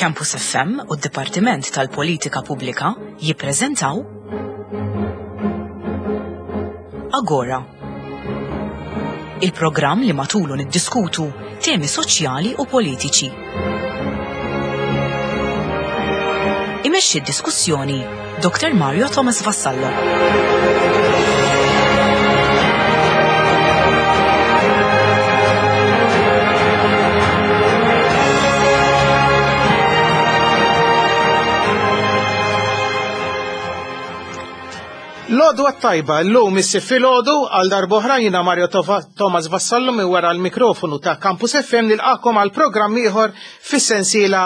Campus FM u d-Dipartiment tal-Politika Pubblika jippreżentaw Agora. Il-programm li matulu niddiskutu temi soċjali u politiċi. Imexxi d-diskussjoni Dr. Mario Thomas Vassallo. L-għodwa t-tajba, l-lum issi filgħodu għal darboħra jina Mario Thomas Vassallo minn wara l-mikrofonu ta' Campus FM nilqakom għal programm ieħor fis-sensiela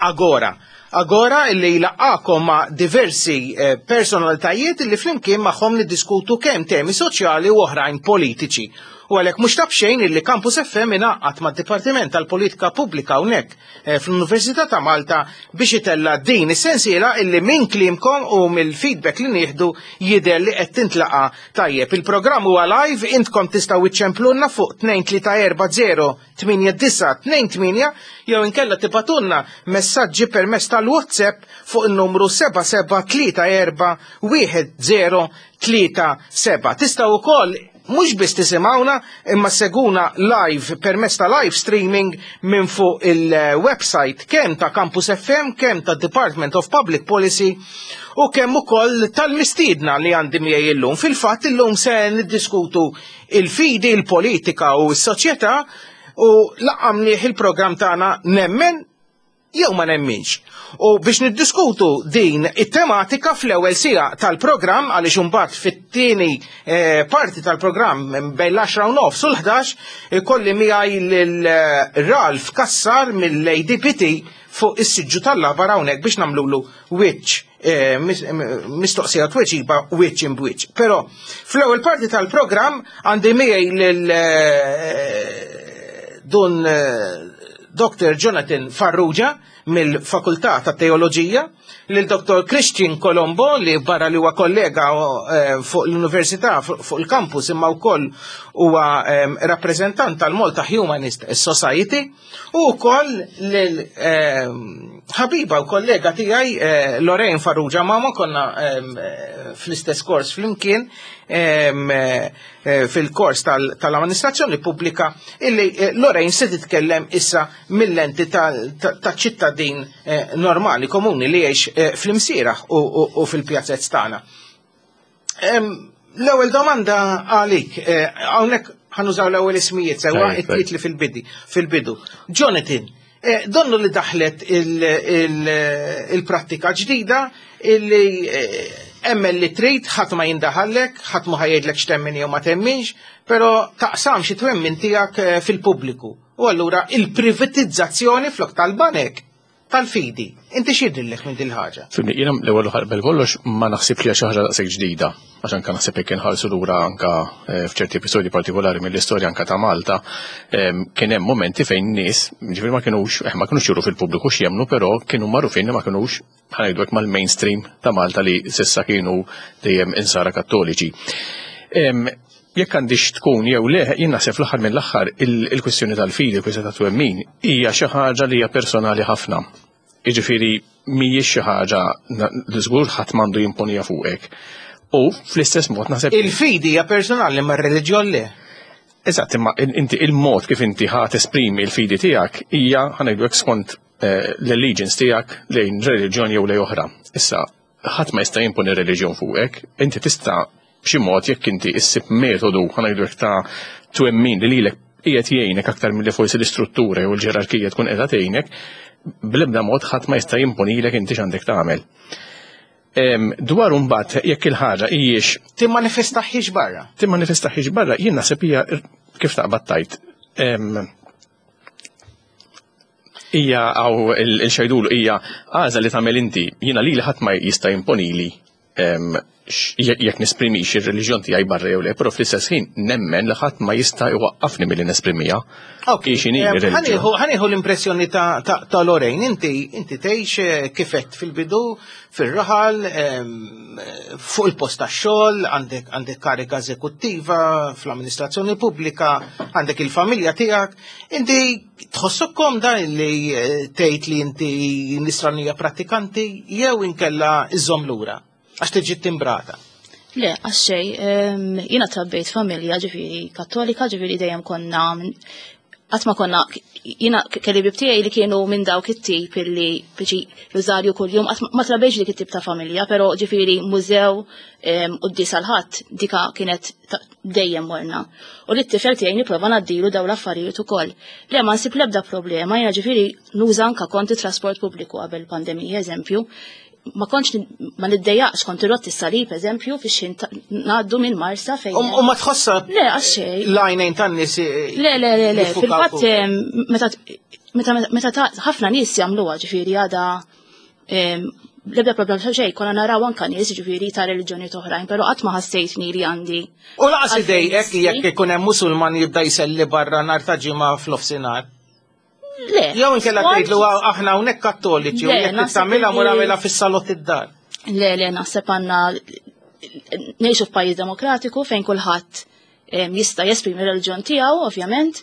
Agora. Agora illi jlaqqakom ma' diversi eh, personalitajiet illi flimkien magħhom niddiskutu kemm temi soċjali u oħrajn politiċi. U għalhekk mhux ta' b'xejn illi Campus FM ingħaqad mad-Dipartiment tal-Politika Pubblika hawnhekk eh, fl-Università ta' Malta biex itella din is-sensiela illi minn kliemkom u mill-feedback li nieħdu jidher li qed tintlaqa tajjeb. Il-programm huwa live, intkom tistgħu iċċemplunna fuq 2340 8928 jew inkella tibgħatulna messaġġi permezz tal-WhatsApp fuq in-numru 77341037. Tistgħu wkoll mhux biss tisimgħuna imma seguna live permezz ta' live streaming minn fuq il-website kemm ta' Campus FM, kemm ta' Department of Public Policy u kemm ukoll tal-mistiedna li għandi miegħi illum. Fil-fatt illum se niddiskutu il-fidi, il-politika u s-soċjetà u laqqamnieh il-programm tagħna Nemmen jew ma nemminx. U biex niddiskutu din it-tematika fl-ewwel siegħa tal-programm għaliex imbagħad fit-tieni eh, parti tal-programm bejn l-10 u nofs u l-11 ikolli miegħi lil eh, Ralph Kassar mill-ADPT fuq is-siġġu tal-labar hawnhekk biex nagħmlulu wiċċ Eh, mistoqsija tweġiba wiċċ imbwiċċ. Però fl-ewwel parti tal-programm għandi miegħi lil eh, dun eh, Dr. Jonathan Farrugia mill-Fakultà ta' Teoloġija, lil Dr. Christian Colombo li barra li huwa kollega fuq l-Università fuq il-campus imma wkoll huwa rappreżentant tal-Malta Humanist Society U wkoll lil ehm, ħabiba u kollega tiegħi eh, Lorraine Farrugia Mama konna ehm, fl-istess kors flimkien ehm, eh, fil-kors tal-amministrazzjoni pubblika illi eh, Lorraine se titkellem issa mill-lenti ta' ċittadin normali komuni li jgħix fl-imsieraħ u fil-pjazzezz tagħna. L-ewwel domanda għalik, eh, hawnhekk ħanużaw l-ewwel ismijiet sewwa it-titli fil-bidi, fil-bidu. Jonathan, eh, donnu li daħlet il-prattika ġdida illi eh, emmen li trid, ħadd ma jindaħallek, ħadd ma ħajdlek x'temmin jew ma temminx, però taqsam xi twemmin tiegħek fil-pubbliku. U allura il-privatizzazzjoni flok tal-banek tal-fidi. Inti x'jidhirlek minn din il-ħaġa? Fimni, jiena l-ewwel qabel kollox ma naħsibx li xi ħaġa daqshekk ġdida, għax anke naħseb jekk inħarsu lura anke eh, f'ċerti episodji partikolari mill-istorja anke ta' Malta, ehm, kien hemm momenti fejn nies, ġifieri ma kinux eh, ma kinux juru fil-pubbliku x'jemmnu, però kienu magħrufin li ma kinux ħanajdu hekk mal-mainstream ta' Malta li sissa kienu dejjem insara kattoliċi. Ehm, Jekk għandix tkun jew le, jien naħseb fl-aħħar mill-aħħar il-kwistjoni tal-fidi, il-kwistjoni ta' twemmin, hija xi ħaġa li hija personali ħafna. Jiġifieri mhijiex xi ħaġa li żgur ħadd m'għandu jimponija fuqek. U fl-istess mod naħseb. Il-fidi hija personali ma r-reliġjon le. Eżatt, imma inti il-mod kif inti ħa tesprimi l-fidi tiegħek hija ħanejdu skont eh, l-allegiance tiegħek lejn reliġjon jew lejn oħra. Issa, ħadd ma jista' jimponi reliġjon fuqek, inti tista' b'xi mod jekk inti issib metodu ħa ngħidu hekk ta' twemmin li lilek qiegħed jgħinek aktar milli forsi l-istruttura jew il-ġerarkija tkun qiegħda tgħinek, bl-ebda mod ħadd ma jista' jimponilek inti x'għandek tagħmel. Dwar imbagħad jekk il-ħaġa hijiex Timmanifestaħiex barra. Timmanifestaħiex barra, jien naħseb hija kif taqbad tajt. Hija għaw il-xajdulu hija għażla li tagħmel inti. Jiena lili ħadd ma jista' jimponili. Jekk nesprimix ir-reliġjon tiegħi barra jew le, però fl-istess ħin nemmen li ħadd ma jista' jwaqqafni milli nesprimiha. Ok, ħa nieħu l-impressjoni ta' Lorraine, inti tgħix kifet fil-bidu fir-raħal, fuq il-post tax-xogħol, għandek karika eżekuttiva fl-amministrazzjoni pubblika, għandek il-familja tiegħek, inti tħossok komda li tgħid li inti nisranija pratikanti jew inkella iżżomm lura għax tiġi timbrata? Le, għax xejn, jiena trabbejt familja ġifieri kattolika, ġifieri dejjem konna, qatt ma konna, jiena kelli ħbieb tiegħi li kienu minn dawk it-tip illi biċi rużarju kuljum, qatt ma trabbejx dik it-tip ta' familja, però ġifieri mużew u d-disa l-ħadd dika kienet dejjem morna. U li t-tifel tiegħi nipprova ngħaddilu dawn l-affarijiet ukoll. Le, ma nsib l-ebda problema, jiena ġifieri nuża anka kont it-trasport pubbliku qabel pandemija, eżempju, ma kontx ma niddejjaqx kont irrodd is-salib, eżempju, fix xejn ngħaddu minn Marsa fejn. U ma tħossa Le, għax xejn. l-għajnejn tan-nies Le, le, le, le, jiffukaw fil-fatt fuq. Meta ħafna nies jagħmluha, ġifieri għada l-ebda problema ta' xejn, konna naraw anka nies ġifieri ta' reliġjoni oħrajn, però qatt ma ħassejtni li għandi. U laqas għalfejn idejqek nissi. Jekk ikun hemm Musulman jibda jselli barra nhar ta' ġimgħa f'nofsinhar. Le. Jew inkella tgħidlu aħna hawnhekk kattoliċi u Le, jekk naħseb tagħmilha mur li għamilha fis-salott id-dar. Le, le, naħseb għandna ngħixu f'pajjiż demokratiku fejn kulħadd jista' jesprimi r-reliġjon tiegħu, ovvjament.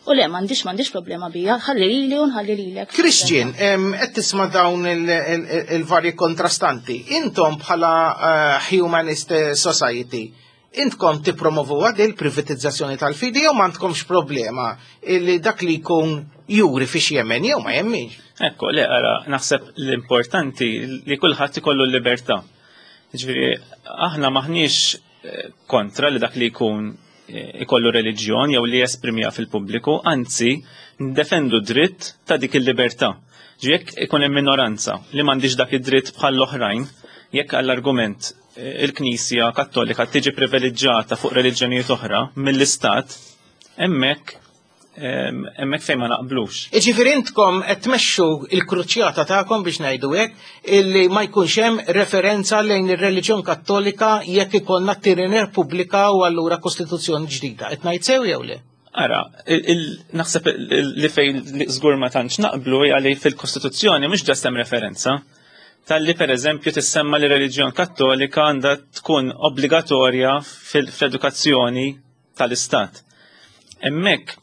U le, m'għandix problema bija, ħalli lili u nħalli lilek. Christian, qed tisma' dawn il-varji kontrastanti. Intom bħala Humanist Society, intkom tippromovu għad il-privatizzazzjoni tal-fidi jew m'għandkomx problema li dak li jkun juri fiex jemmen jew ma jemminx? Ekku, le, ara, naħseb l-importanti li kulħadd ikollu l-libertà. Ġifieri, aħna maħniex kontra li dak li jkun ikollu reliġjon jew li jesprimiha fil-pubbliku, anzi, ndefendu dritt ta' dik il-libertà. Ġifieri, jekk ikun hemm minoranza li m'għandix dak id-dritt bħall-oħrajn, jekk għall-argument il-Knisja Kattolika tiġi privileġġjata fuq reliġjonijiet oħra mill-Istat, hemmhekk fejn ma naqblux. Iġifieri intkom qed tmexxu il-kruċjata tagħkom biex ngħidu hekk illi ma jkunx hemm referenza lejn ir-reliġjon Kattolika jekk ikollna t-tieni Repubblika u allura Kostituzzjoni ġdida. Qed ngħid sew jew le? Ara, naħseb li fejn li żgur ma tantx naqblu hija li fil-Kostituzzjoni mhux ġast hemm referenza tal-li per eżempju tissemma li reliġjon Kattolika għandha tkun obbligatorja fl-edukazzjoni tal-Istat. Hemmhekk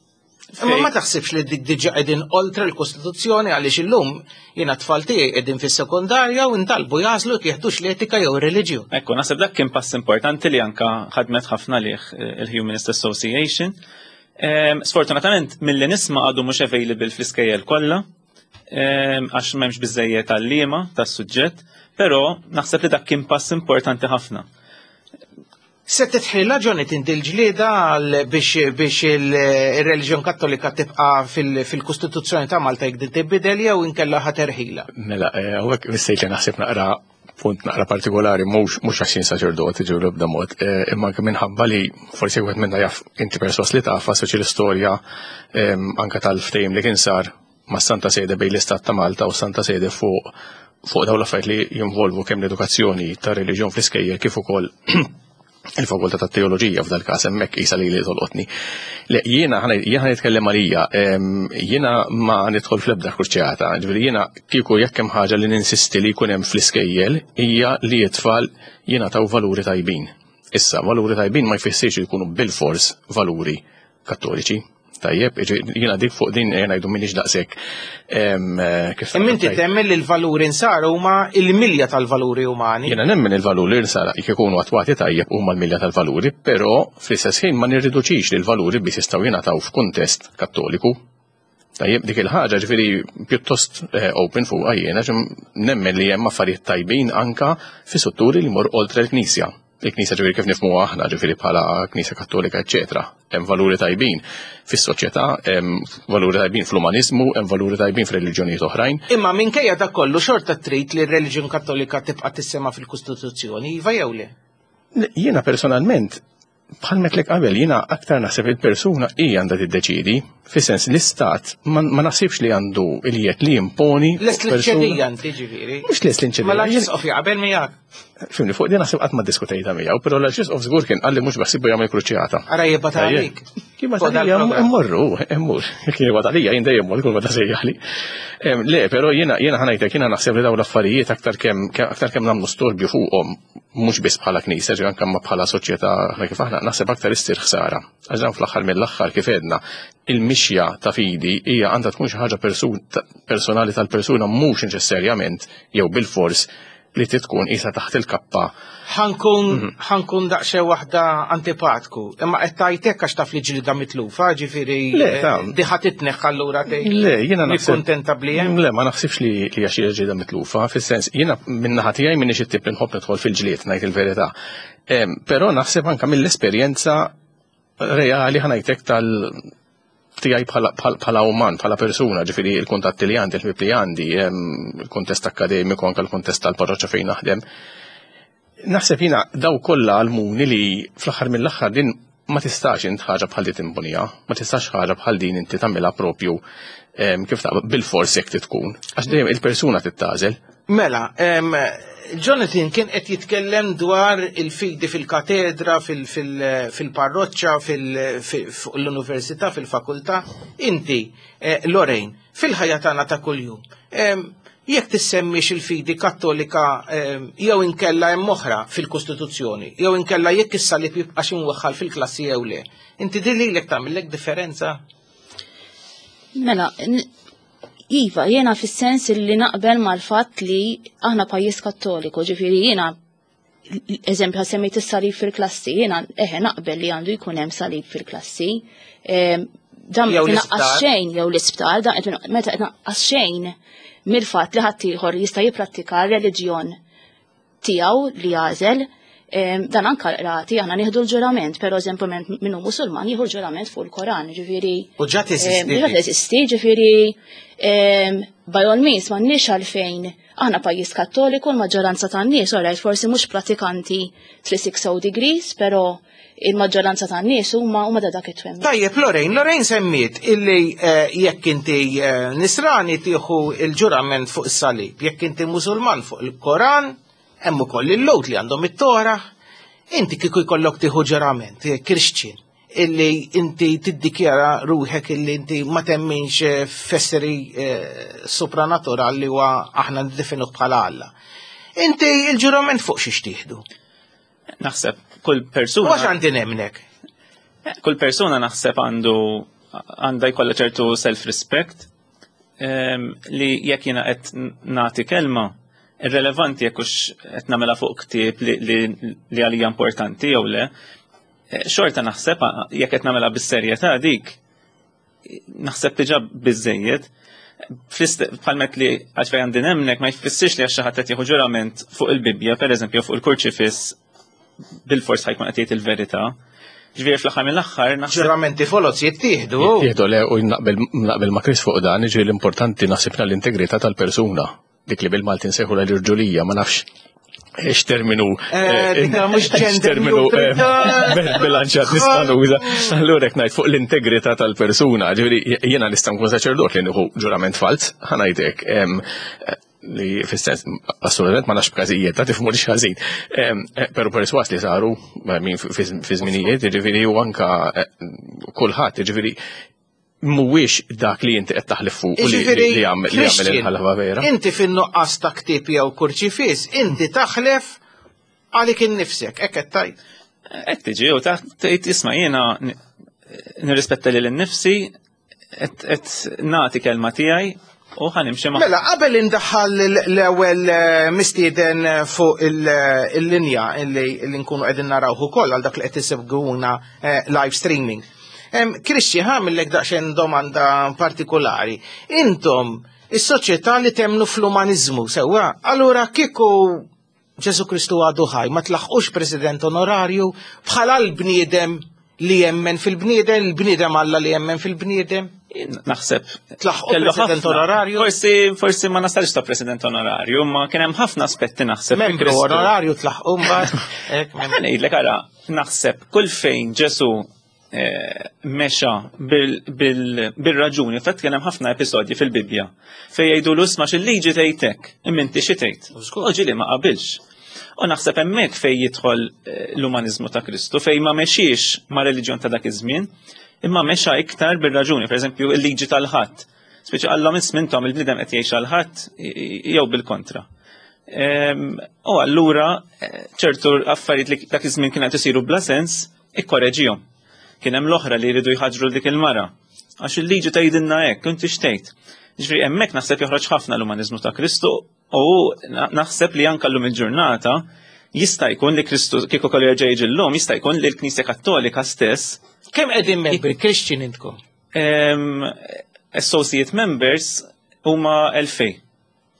Imma ma fejn taħsibx li dik diġà qegħdin oltre l-Kostituzzjoni għaliex illum jiena tfal tiegħi qegħdin fis-sekondarja u ntalbu jagħżlu jekk jeħdux l-etika jew ir-reliġjon. Ekku, naħseb dak kien pass importanti li anka ħadmet ħafna lih il-Humanist Association. Sfortunatament, milli nisma' għadu mhux available fl-iskejjel kollha, għax m'hemmx biżejjed għalliema tas-suġġett, però naħseb li dak kien pass importanti ħafna. Se titħilla ġoni tinti l-ġlieda biex il-reliġjon Kattolika tibqa' fil-Kostituzzjoni ta' Malta jekk din tibidel jew inkella ħaterħila? Mela, hawnhekk mistejt li naħseb naqra punt naqra partikolari, mhux għax jien saċerdoti ġew l-ebda mod, imma anke minħabba li forsi wieħed minna jaf inti perswas li taf għas l-istorja anke tal-ftehim li kien sar ma' Santa Sede bejn l-Istat ta' Malta u Santa Sede fuq dawn l-affarijiet li jinvolvu kemm l-edukazzjoni ta' reliġjon fl-iskejjel kif ukoll il-fakultà ta' teoloġija f'dal każ hemmhekk qisha li li tolqotni. Le, jiena nitkellem għalija, jiena ma nidħol fl-ebda kruċjata, ġifieri jiena kieku jekk hemm ħaġa li ninsisti li jkun hemm fl-iskejjel hija li t-tfal jingħataw valuri tajbin. Issa, valuri tajbin ma jfissirx li jkunu bil-fors valuri kattoliċi. Tajjeb, jiena dik fuq din jiena ngħidu m'iniex daqshekk, kif Imma inti tajt. temmen li l-valuri nsara huma il-milja tal-valuri umani? Jiena nemmen il-valuri nsara jekk ikunu attwati tajjeb huma l-milja tal-valuri, però fl-istess ħin ma nirriduċix li l-valuri biss jistgħu jingħataw f'kuntest kattoliku. Tajjeb, dik il-ħaġa ġifieri pjuttost open fuqha jiena, ġim nemmen li hemm affarijiet tajbin anka fi strutturi li jmorru oltre l-Knisja. Il-Knisja ġifieri kif nifhmuha aħna, ġifieri bħala Knisja Kattolika, eċċetera. Hemm valuri tajbin fis-soċjetà, hemm valuri tajbin fl-umaniżmu, hemm valuri tajbin f'reliġjonijiet oħrajn. Imma minkejja dak kollu xorta trid li r-reliġjon Kattolika tibqa' tissema fil-Kostituzzjoni, iva jew le? Le, jiena personalment Bħal metlek qabel jiena aktar naħseb il-persuna hi għandha tiddeċiedi, fis-sens l-istat ma naħsibx li għandu il-jiet li jimponi. Lest li ċedija inti ġifieri. Mhux lest li nċedija. Ma l-arċisqof jaqbel miegħek. Fimni, fuq din naħseb qatt ma diskutejta miegħu, però l-arċisqof żgur kien qalli mhux baħsibu jagħmel kruċjata. Ara jibgħat għalik. Kien għalija mmorru, mmur. Kien jibgħat għalija jien dejjem mor kull meta sejjaħli. Le, però jiena jiena ħanajtek jiena naħseb li dawn l-affarijiet aktar kemm aktar kemm nagħmlu storbju fuqhom mhux biss bħala knisja, ġi anke ma bħala soċjetà aħna kif aħna naħseb aktar issir ħsara. Għax dan fl-aħħar mill-aħħar kif għedna, il-mixja ta' fidi hija għandha tkun xi ħaġa personali tal-persuna mhux neċessarjament jew bilfors li tkun isa taħt il-kappa. Ħankun mhm. ħankun daqsxejn waħda antipatku, imma qed tajtek għax taf li ġlida mitlufa, ġifieri eh, diħa titneħ allura tgħid. Le, jiena naħseb. Kuntenta bli hemm. Le, ma naħsibx li hija xi ġlida mitlufa, fis-sens jiena min-naħa tiegħi m'iniex it-tip li nħobb nidħol fil-ġlied ngħid il-verità. Però naħseb anke mill-esperjenza reali ħanajtek tal tiegħi bħala uman, bħala persuna, ġifieri il-kuntatti li għandi, il-ħbieb li għandi, il-kuntest akkademiku, anke l-kuntest tal-parroċċa fejn naħdem. Naħseb jiena daw kollha għalmuni li fl-aħħar mill-aħħar din ma tistax int ħaġa bħal di timbunija, ma tistax ħaġa bħal din inti tagħmilha propju kif ta' bil-fors jekk tkun. Għax dejjem il-persuna tittażel. Mela, Jonathan kien qed jitkellem dwar il-fidi fil-katedra, fil-parroċċa, fuq l-università, fil-fakultà. Inti, eh, Lorraine, fil-ħajja tagħna ta' kuljum, jekk tissemmix il-fidi kattolika jew inkella hemm oħra fil-Kostituzzjoni, jew inkella jekk is-salib jibqax imwaħħal fil-klassi jew le. Inti din lilek tagħmillek differenza? Mela, Iva, jiena fis-sens li naqbel mal-fatt li aħna pajjiż kattoliku, ġifieri jiena eżempju semmejt is-salib fil-klassi, jiena eħe naqbel li għandu jkun hemm salib fil-klassi. Ehm, dan Jew qed inaqqas l-isptar. xejn jew l-isptar, dan qed meta qed inaqqas xejn mill-fatt li ħaddieħor jista' jipprattika r-reliġjon tiegħu li jagħżel. Dan anka l-qrati aħna nieħdu l-ġurament, però eżempju minnu Musulman jieħu l-ġurament fuq il-Koran, ġifieri. U ġa teżisti. Ġa teżisti, ġifieri by all means m'għandniex għalfejn aħna pajjiż Kattoliku l-maġġoranza tan-nies, all right, forsi mhux pratikanti 360 degrees, però il-maġġoranza tan-nies huma huma da dak it-twemmin. Tajjeb, Lorraine, Lorraine semmiet illi eh, jekk inti eh, nisrani tieħu il-ġurament fuq is-salib, jekk inti Musulman fuq il-Koran, Hemm ukoll il-Lhud li għandhom it-Tora. Inti kieku jkollok tieħu ġurament, eh, Christian, illi inti tiddikjara ruħek illi inti ma temminx eh, f'esseri eh, supranatural li huwa aħna niddefinuh bħala Alla. Inti il-ġurament fuq xiex tieħdu? Naħseb kull persuna. Għax għandi nemnek. Kull persuna naħseb għandu għandha jkollha ċertu self-respect ehm, li jekk jiena qed nagħti kelma, irrelevanti jekk hux qed nagħmilha fuq ktieb li għalija importanti jew le, eh, xorta naħseb jekk qed nagħmilha bis-serjetà dik naħseb diġà biżejjed. Bħalmet li għax fejn għandi nemnek ma jfissirx li għax xi ħadd qed jieħu ġurament fuq il-Bibbja, pereżempju, fuq il-kurċifiss bil-fors ħajkun qed jgħid il-verità. Ġifieri fl-aħħar mill-aħħar naħseb. Ġuramenti foloz jittieħdu. Jittieħdu le u naqbel ma' Chris fuq dan, ġifieri l-importanti naħsibna l-integrità tal-persuna. Dik li bil-Malti nsejħu l-irġulija, ma nafx x'terminu eh, eh, mhux terminu eh, bilanċat nista' nuża. Allura hekk ngħid fuq l-integrità tal-persuna, ġifieri jiena nista' nkun saċerdot li nieħu ġurament falz, ħa ngħidlek li fis-sens assolutament ma nafx b'każijiet ta' tifhmu li ħażin. Eh, però perswas li saru eh, min fi żminijiet, jiġifieri u anka eh, kulħadd, jiġifieri mhuwiex dak li inti qed taħlif fuq li jagħmel il-ħalfa vera. Inti fin-nuqqas ta' ktieb jew kurċifiss, inti taħlef għalik innifsek, hekk qed tgħid. Qed tiġi u tgħid isma' jiena nirrispetta lil innifsi qed nagħti kelma tiegħi u ħanimxi ma' Mela, qabel indaħħal l-ewwel eh, mistieden eh, fuq eh, il-linja li nkunu qegħdin narawh ukoll għal dak li qed isegwuna live streaming. Kristi, ħamillek daqsxejn domanda partikolari. Intom, is-soċjetà li temnu fl-umaniżmu, sewwa, allura kieku Ġesu Kristu għadu ħaj, ma tlaħqux president onorarju bħala l-bniedem li jemmen fil-bniedem, il-bniedem Alla li jemmen fil-bniedem? Naħseb. Tlaħqu president onorarju? Forsi, forsi ma nasalx ta' president onorarju, ma kien hemm ħafna aspetti naħseb. Membru onorarju tlaħqu mbagħad. Ngħidlek ara, naħseb kull fejn Ġesu eh, mexa bil-raġuni, fatt kien hemm ħafna episodji fil-Bibbja fejn jgħidu l-isma' xil-liġi tgħidek, imma inti xi tgħid. U ġieli ma qabilx. U naħseb hemmhekk fejn jidħol eh, l-umanizmu ta' Kristu, fejn ma mexiex ma' reliġjon ta' dak iż-żmien, imma mexa iktar bir-raġuni, pereżempju il-liġi tal-ħadd. Speċi għallhom ismintom il-bniedem qed jgħix għal-ħadd jew bil-kontra. Ehm, u allura eh, ċertu affarijiet li dak iż-żmien kien qed isiru bla sens, ikkoreġihom. Kien hemm l-oħra li jridu jħaġru dik il-mara. Għax il-liġi tgħidilna hekk, inti xtejt. Ġifieri hemmhekk naħseb joħroġ ħafna l-umaniżmu ta' Kristu U naħseb li anka llum il-ġurnata jista' jkun li Kristu kieku kollu jerġa' jiġi llum, jista' jkun li l-Knisja Kattolika stess. Kemm qegħdin membri Christian intkom? Associate members huma 2000.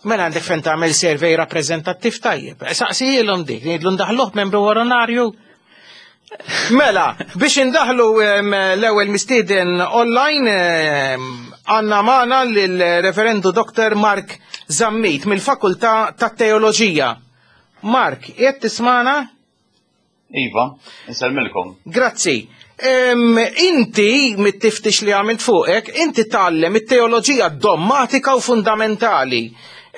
Mela għandek fejn tagħmel survey rappreżentattiv tajjeb. Saqsijilhom dik, ngħidlu ndaħluh membru onorarju. Mela, biex indaħlu l-ewwel mistieden online għandna magħna lill-Reverendu Dr. Mark Zammit mill-Fakultà tat-Teoloġija. Mark, qiegħed tismana? Iva, insellmilkom. Grazzi. Inti, mit-tiftix li għamilt fuqek, inti tgħallem it-teoloġija dommatika u fundamentali.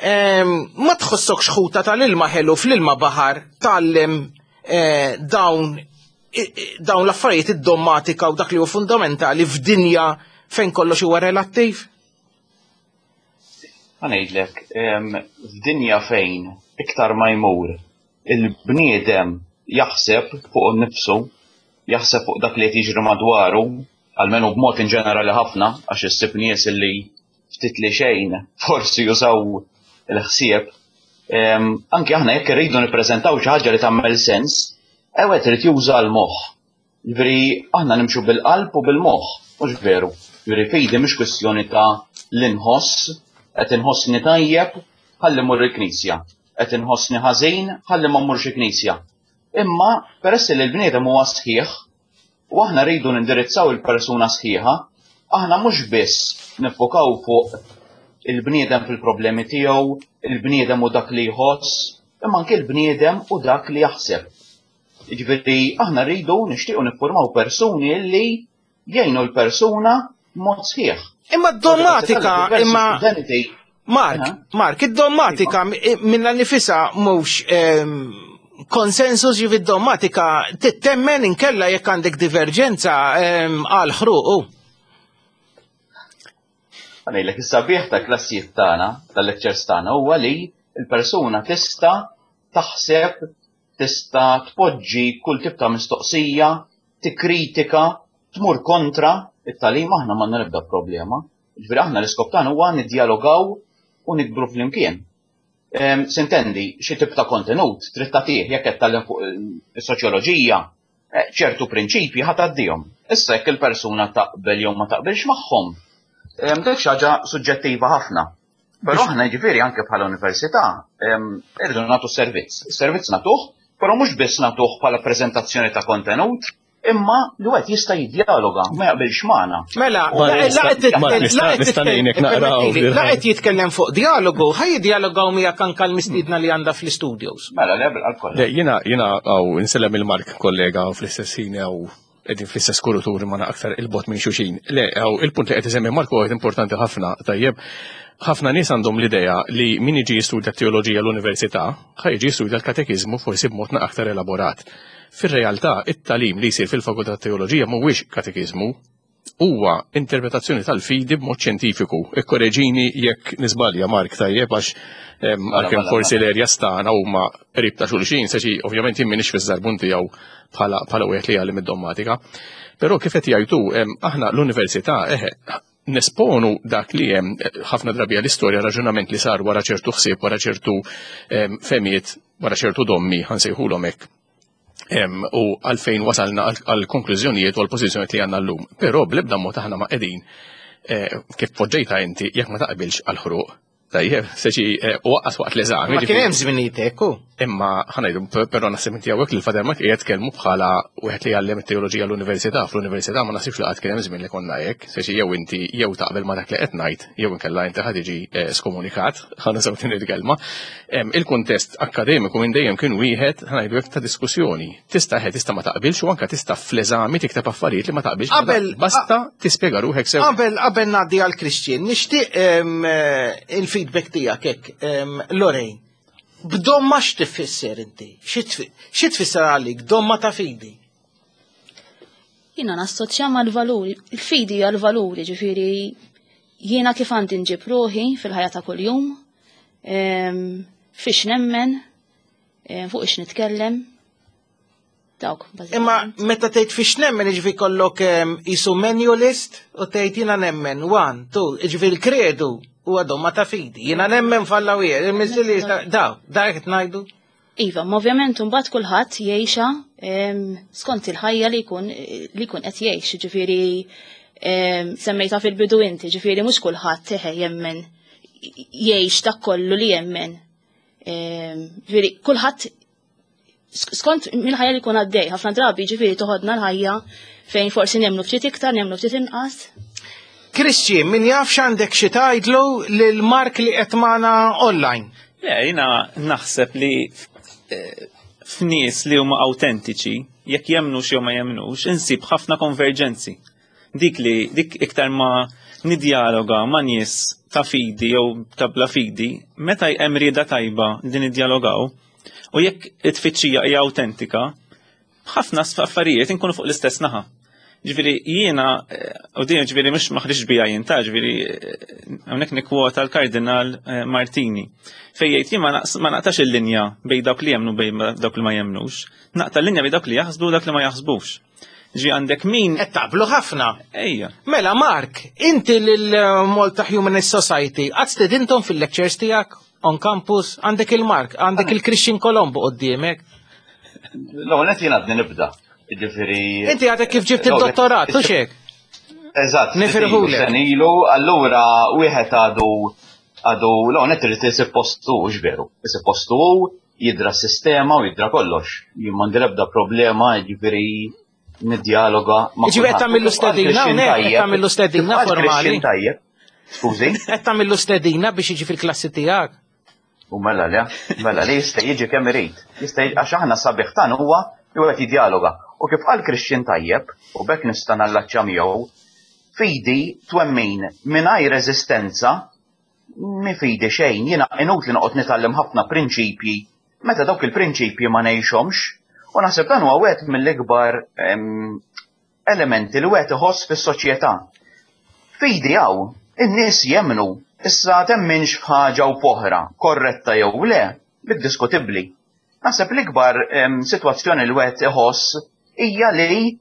Ma tħossokx ħuta tal-ilma ħelu fl-ilma baħar tgħallem eh, dawn dawn l-affarijiet id-dommatika u dak li huwa fundamentali f'dinja fejn kollox huwa relattiv? Ngħidlek, f'dinja fejn iktar ma jmur il-bniedem jaħseb fuq nifsu, jaħseb fuq dak li qed jiġri madwaru, almenu b'mod in ġenerali ħafna, għax issib nies li ftit li xejn forsi jużaw il-ħsieb. Anki aħna jekk irridu nippreżentaw xi ħaġa li tagħmel sens, ewwel trid juża l-moħħ. Ġifieri aħna nimxu bil-qalb u bil-moħħ, mhux veru. Ġifieri fidi mhix kwistjoni ta' l-inħoss, qed inħossni tajjeb, ħalli mmur il-knisja. Qed inħossni ħażin, ħalli ma mmurx il-knisja. Imma peress li l-bniedem huwa sħiħ, U aħna rridu nindirizzaw il-persuna sħiħa, aħna mhux biss niffokaw fuq il-bniedem fil-problemi tiegħu, il-bniedem u dak li jħoss, imma anke l-bniedem u dak li jaħseb. Jiġifieri aħna rridu nixtiequ niffurmaw persuni li jgħinu l-persuna mod sħiħ. Imma d-dommatika, imma Mark, Mark, id-dommatika minna nifisa mhux ehm, konsensus ġivi d-dommatika tittemmen inkella jekk għandek diverġenza ehm, għal ħruqu. Għanejlek, is-sabiħ ta' klassijiet tagħna, tal-lectures tagħna huwa li l-persuna tista' taħseb, tista' tpoġġi kull tip ta' mistoqsija, tikkritika, tmur kontra it-tagħlim aħna m'għandna l-ebda problema. Ġifieri aħna l-iskop tagħna huwa niddjalogaw u nikbru flimkien. Ehm, sintendi, xi tip ta' kontenut trid tagħtih jekk qed tgħallem fuq is-soċjoloġija, eh, ċertu prinċipji ħa tgħaddihom. Issa jekk il-persuna taqbel jew ma taqbilx magħhom, ehm, dik xi ħaġa suġġettiva ħafna. Però aħna jiġifieri anke bħala università ehm, irridu nagħtu servizz. Is-servizz nagħtuh, però mhux biss nagħtuh bħala preżentazzjoni ta' kontenut, imma li wieħed jista' jiddjaloga ma jaqbilx magħna. Mela, la qed jitkellem fuq dialogu, ħaj jiddialogaw miegħek anke l-mistiedna li għandha fl-istudios. Mela, le bil kollha. Jiena jiena għaw insellem il-Mark kollega fl-istess ħin għaw qegħdin fl-istess kurutur ma aktar il-bot minn xuxin. Le, għaw il-punt li qed isemmi Mark huwa importanti ħafna, tajjeb. Ħafna nies għandhom l-idea li min jiġi jistudja teoloġija l-università, ħa jiġi jistudja l-katekiżmu forsi b'mod aktar elaborat. Fir-realtà, it-tagħlim li jsir fil-Fakultà tat-Teoloġija mhuwiex katekiżmu, huwa interpretazzjoni tal-fidi b'mod xjentifiku. Ikkoreġini jekk niżbalja Mark tajjeb għax mela, għalkemm mela, forsi mela. l-erja stana huma qrib ta' xulxin, se xi ovvjament jien m'iniex fiż-żarbun tiegħu bħala bħala wieħed li jgħallem id-dommatika. Però kif qed jgħidu aħna l-università eħe nesponu dak li hemm ħafna drabi l-istorja raġunament li sar wara ċertu ħsieb, wara ċertu femiet, wara ċertu dommi, ħansejħulhom hekk. U għalfejn wasalna għal konklużjonijiet u għal pożizzjonijiet li għandna llum. Però bl-ebda mod aħna ma qegħdin eh, kif poġġejta inti jekk ma taqbilx għal ħruq. Tajjeb, seċi eh, u waqqas waqt l-eżami. Ma kien hemm żminijiet hekk hu. Imma ħanajdu, però naħseb inti hawnhekk li l-Fader Mark qiegħed tkellmu bħala wieħed li jgħallem it-teoloġija l-università. Fl-università ma naħsibx li qatt kien hemm żmien li konna hekk, seċi jew inti jew taqbel ma dak li qed ngħid, jew inkella inti ħad tiġi eh, skomunikat, ħanużaw din il-kelma. Il-kuntest akkademiku minn dejjem kien wieħed ħanajdu hekk ta' diskussjoni. Tista' ħe tista' ma taqbilx u anke tista' fl-eżami tikteb affarijiet li ma taqbilx. Qabel basta tispjega ruħek sew. Qabel qabel ngħaddi għal Christian, nixtieq eh, il-feedback tiegħek hekk, Lorraine. B'domma x'tifisser inti? Xi tfisser għalik domma ta' fidi? Jiena nassoċja mal-valuri, il-fidi hija l-valuri, ġifieri jiena kif għandi nġib ruħi fil-ħajja ta' kuljum, fiex nemmen, Eh, fuq ix nitkellem, dawk. Imma meta tgħid fiex nemmen iġvi kollok isu menu list u tgħid jiena nemmen one, two, iġvi l-kredu u għadhom ma ta' fidi. Jiena nemmen falla wieħed, il-miżili daw, dak qed ngħidu. Iva, ma ovvjament mbagħad kulħadd jgħixha skont il-ħajja li jkun li jkun qed jgħix, ġifieri semmejta fil-bidu inti, ġifieri mhux kulħadd eħe jemmen jgħix dak kollu li jemmen. Ġifieri kulħadd skont mill-ħajja li jkun għaddej, ħafna drabi ġifieri toħodna l-ħajja fejn forsi nemmnu ftit iktar, nemmnu ftit inqas. Christian, min jaf x'għandek xi tgħidlu lil Mark li qed magħna online? Le, jiena naħseb li eh, f'nies li huma autentiċi, jekk jemnux jew ma jemnux, insib ħafna konverġenzi. Dik li dik iktar ma nidjaloga ma' nies ta' fidi jew ta' bla fidi, meta hemm rieda tajba li nidjalogaw, u jekk it-tfittxija hija awtentika, ħafna affarijiet inkunu fuq l-istess naħa. Ġifieri jiena, eh, u din ġifieri mhux maħriġ bija jien ta' ġifieri eh, hawnhekk nikkwota l-Kardinal eh, Martini. Fejn jgħid jien ma naqtax il-linja bejn dawk li jemnu bejn dawk li ma jemnux, naqta' l-linja bejn dawk li jaħsbu u dawk li ma jaħsbux. Ġi għandek min. Qed taqblu ħafna. Ejja. Mela Mark, inti lil eh, Malta Humanist Society qatt stedintom fil-lectures tiegħek on campus, għandek il-Mark, għandek il-Christian Colombo qoddiemek. L-ewwel qed jien għadni nibda. Jiġifieri. Inti għadek kif ġibt id-dottorat, u xek? Eżatt. Nifirħulek. Senilu, allura wieħed għadu għadu l-ewwel qed irid isib postu veru. Isib postu jidra s-sistema u jidra kollox. Jien m'għandi l-ebda problema, jiġifieri niddialoga ma' Ġifieri qed tagħmillu stedina hawnhekk, qed tagħmillu stedina formali. Tajjeb. Skużi? Qed tagħmillu stedina biex jiġi fil-klassi tiegħek. U mela le, mela le jista' jiġi kemm irid. Jista' għax aħna sabiħ tan huwa li wieħed jiddialoga. U kif qal Christian tajjeb, u bekk nista' nallaċċa miegħu, fidi twemmin mingħajr eżistenza Mhi fidi xejn, jiena inutli noqgħod nitgħallem ħafna prinċipji meta dawk il-prinċipji ma ngħixhomx. U naħseb dan huwa wieħed mill-ikbar elementi li wieħed iħoss fis-soċjetà. Fidi hawn, in-nies jemmnu, issa temminx f'ħaġa u f'oħra, korretta jew le, dik diskutibbli. Naħseb l-ikbar sitwazzjoni li wieħed iħoss hija li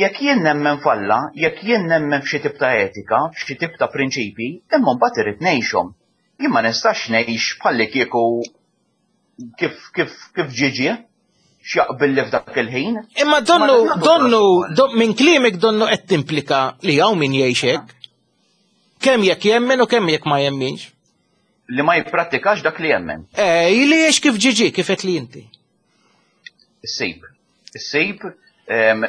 jekk jien nemmen f'Alla, jekk jien nemmen f'xi tip ta' etika, f'xi tip ta' prinċipji, imma mbagħad irrid ngħixhom. Jien ma nistax ngħix bħallikieku kif kif kif ġie ġie, x'jaqbilli f'dak il-ħin. Imma donnu, donnu, minn kliemek donnu qed timplika li hawn min jgħix hekk. Kemm jekk jemmen u kemm jekk ma jemminx. Li ma jipprattikax dak li jemmen. Eh, li jiex kif ġiġi, kif qed li inti. Issib. Issib,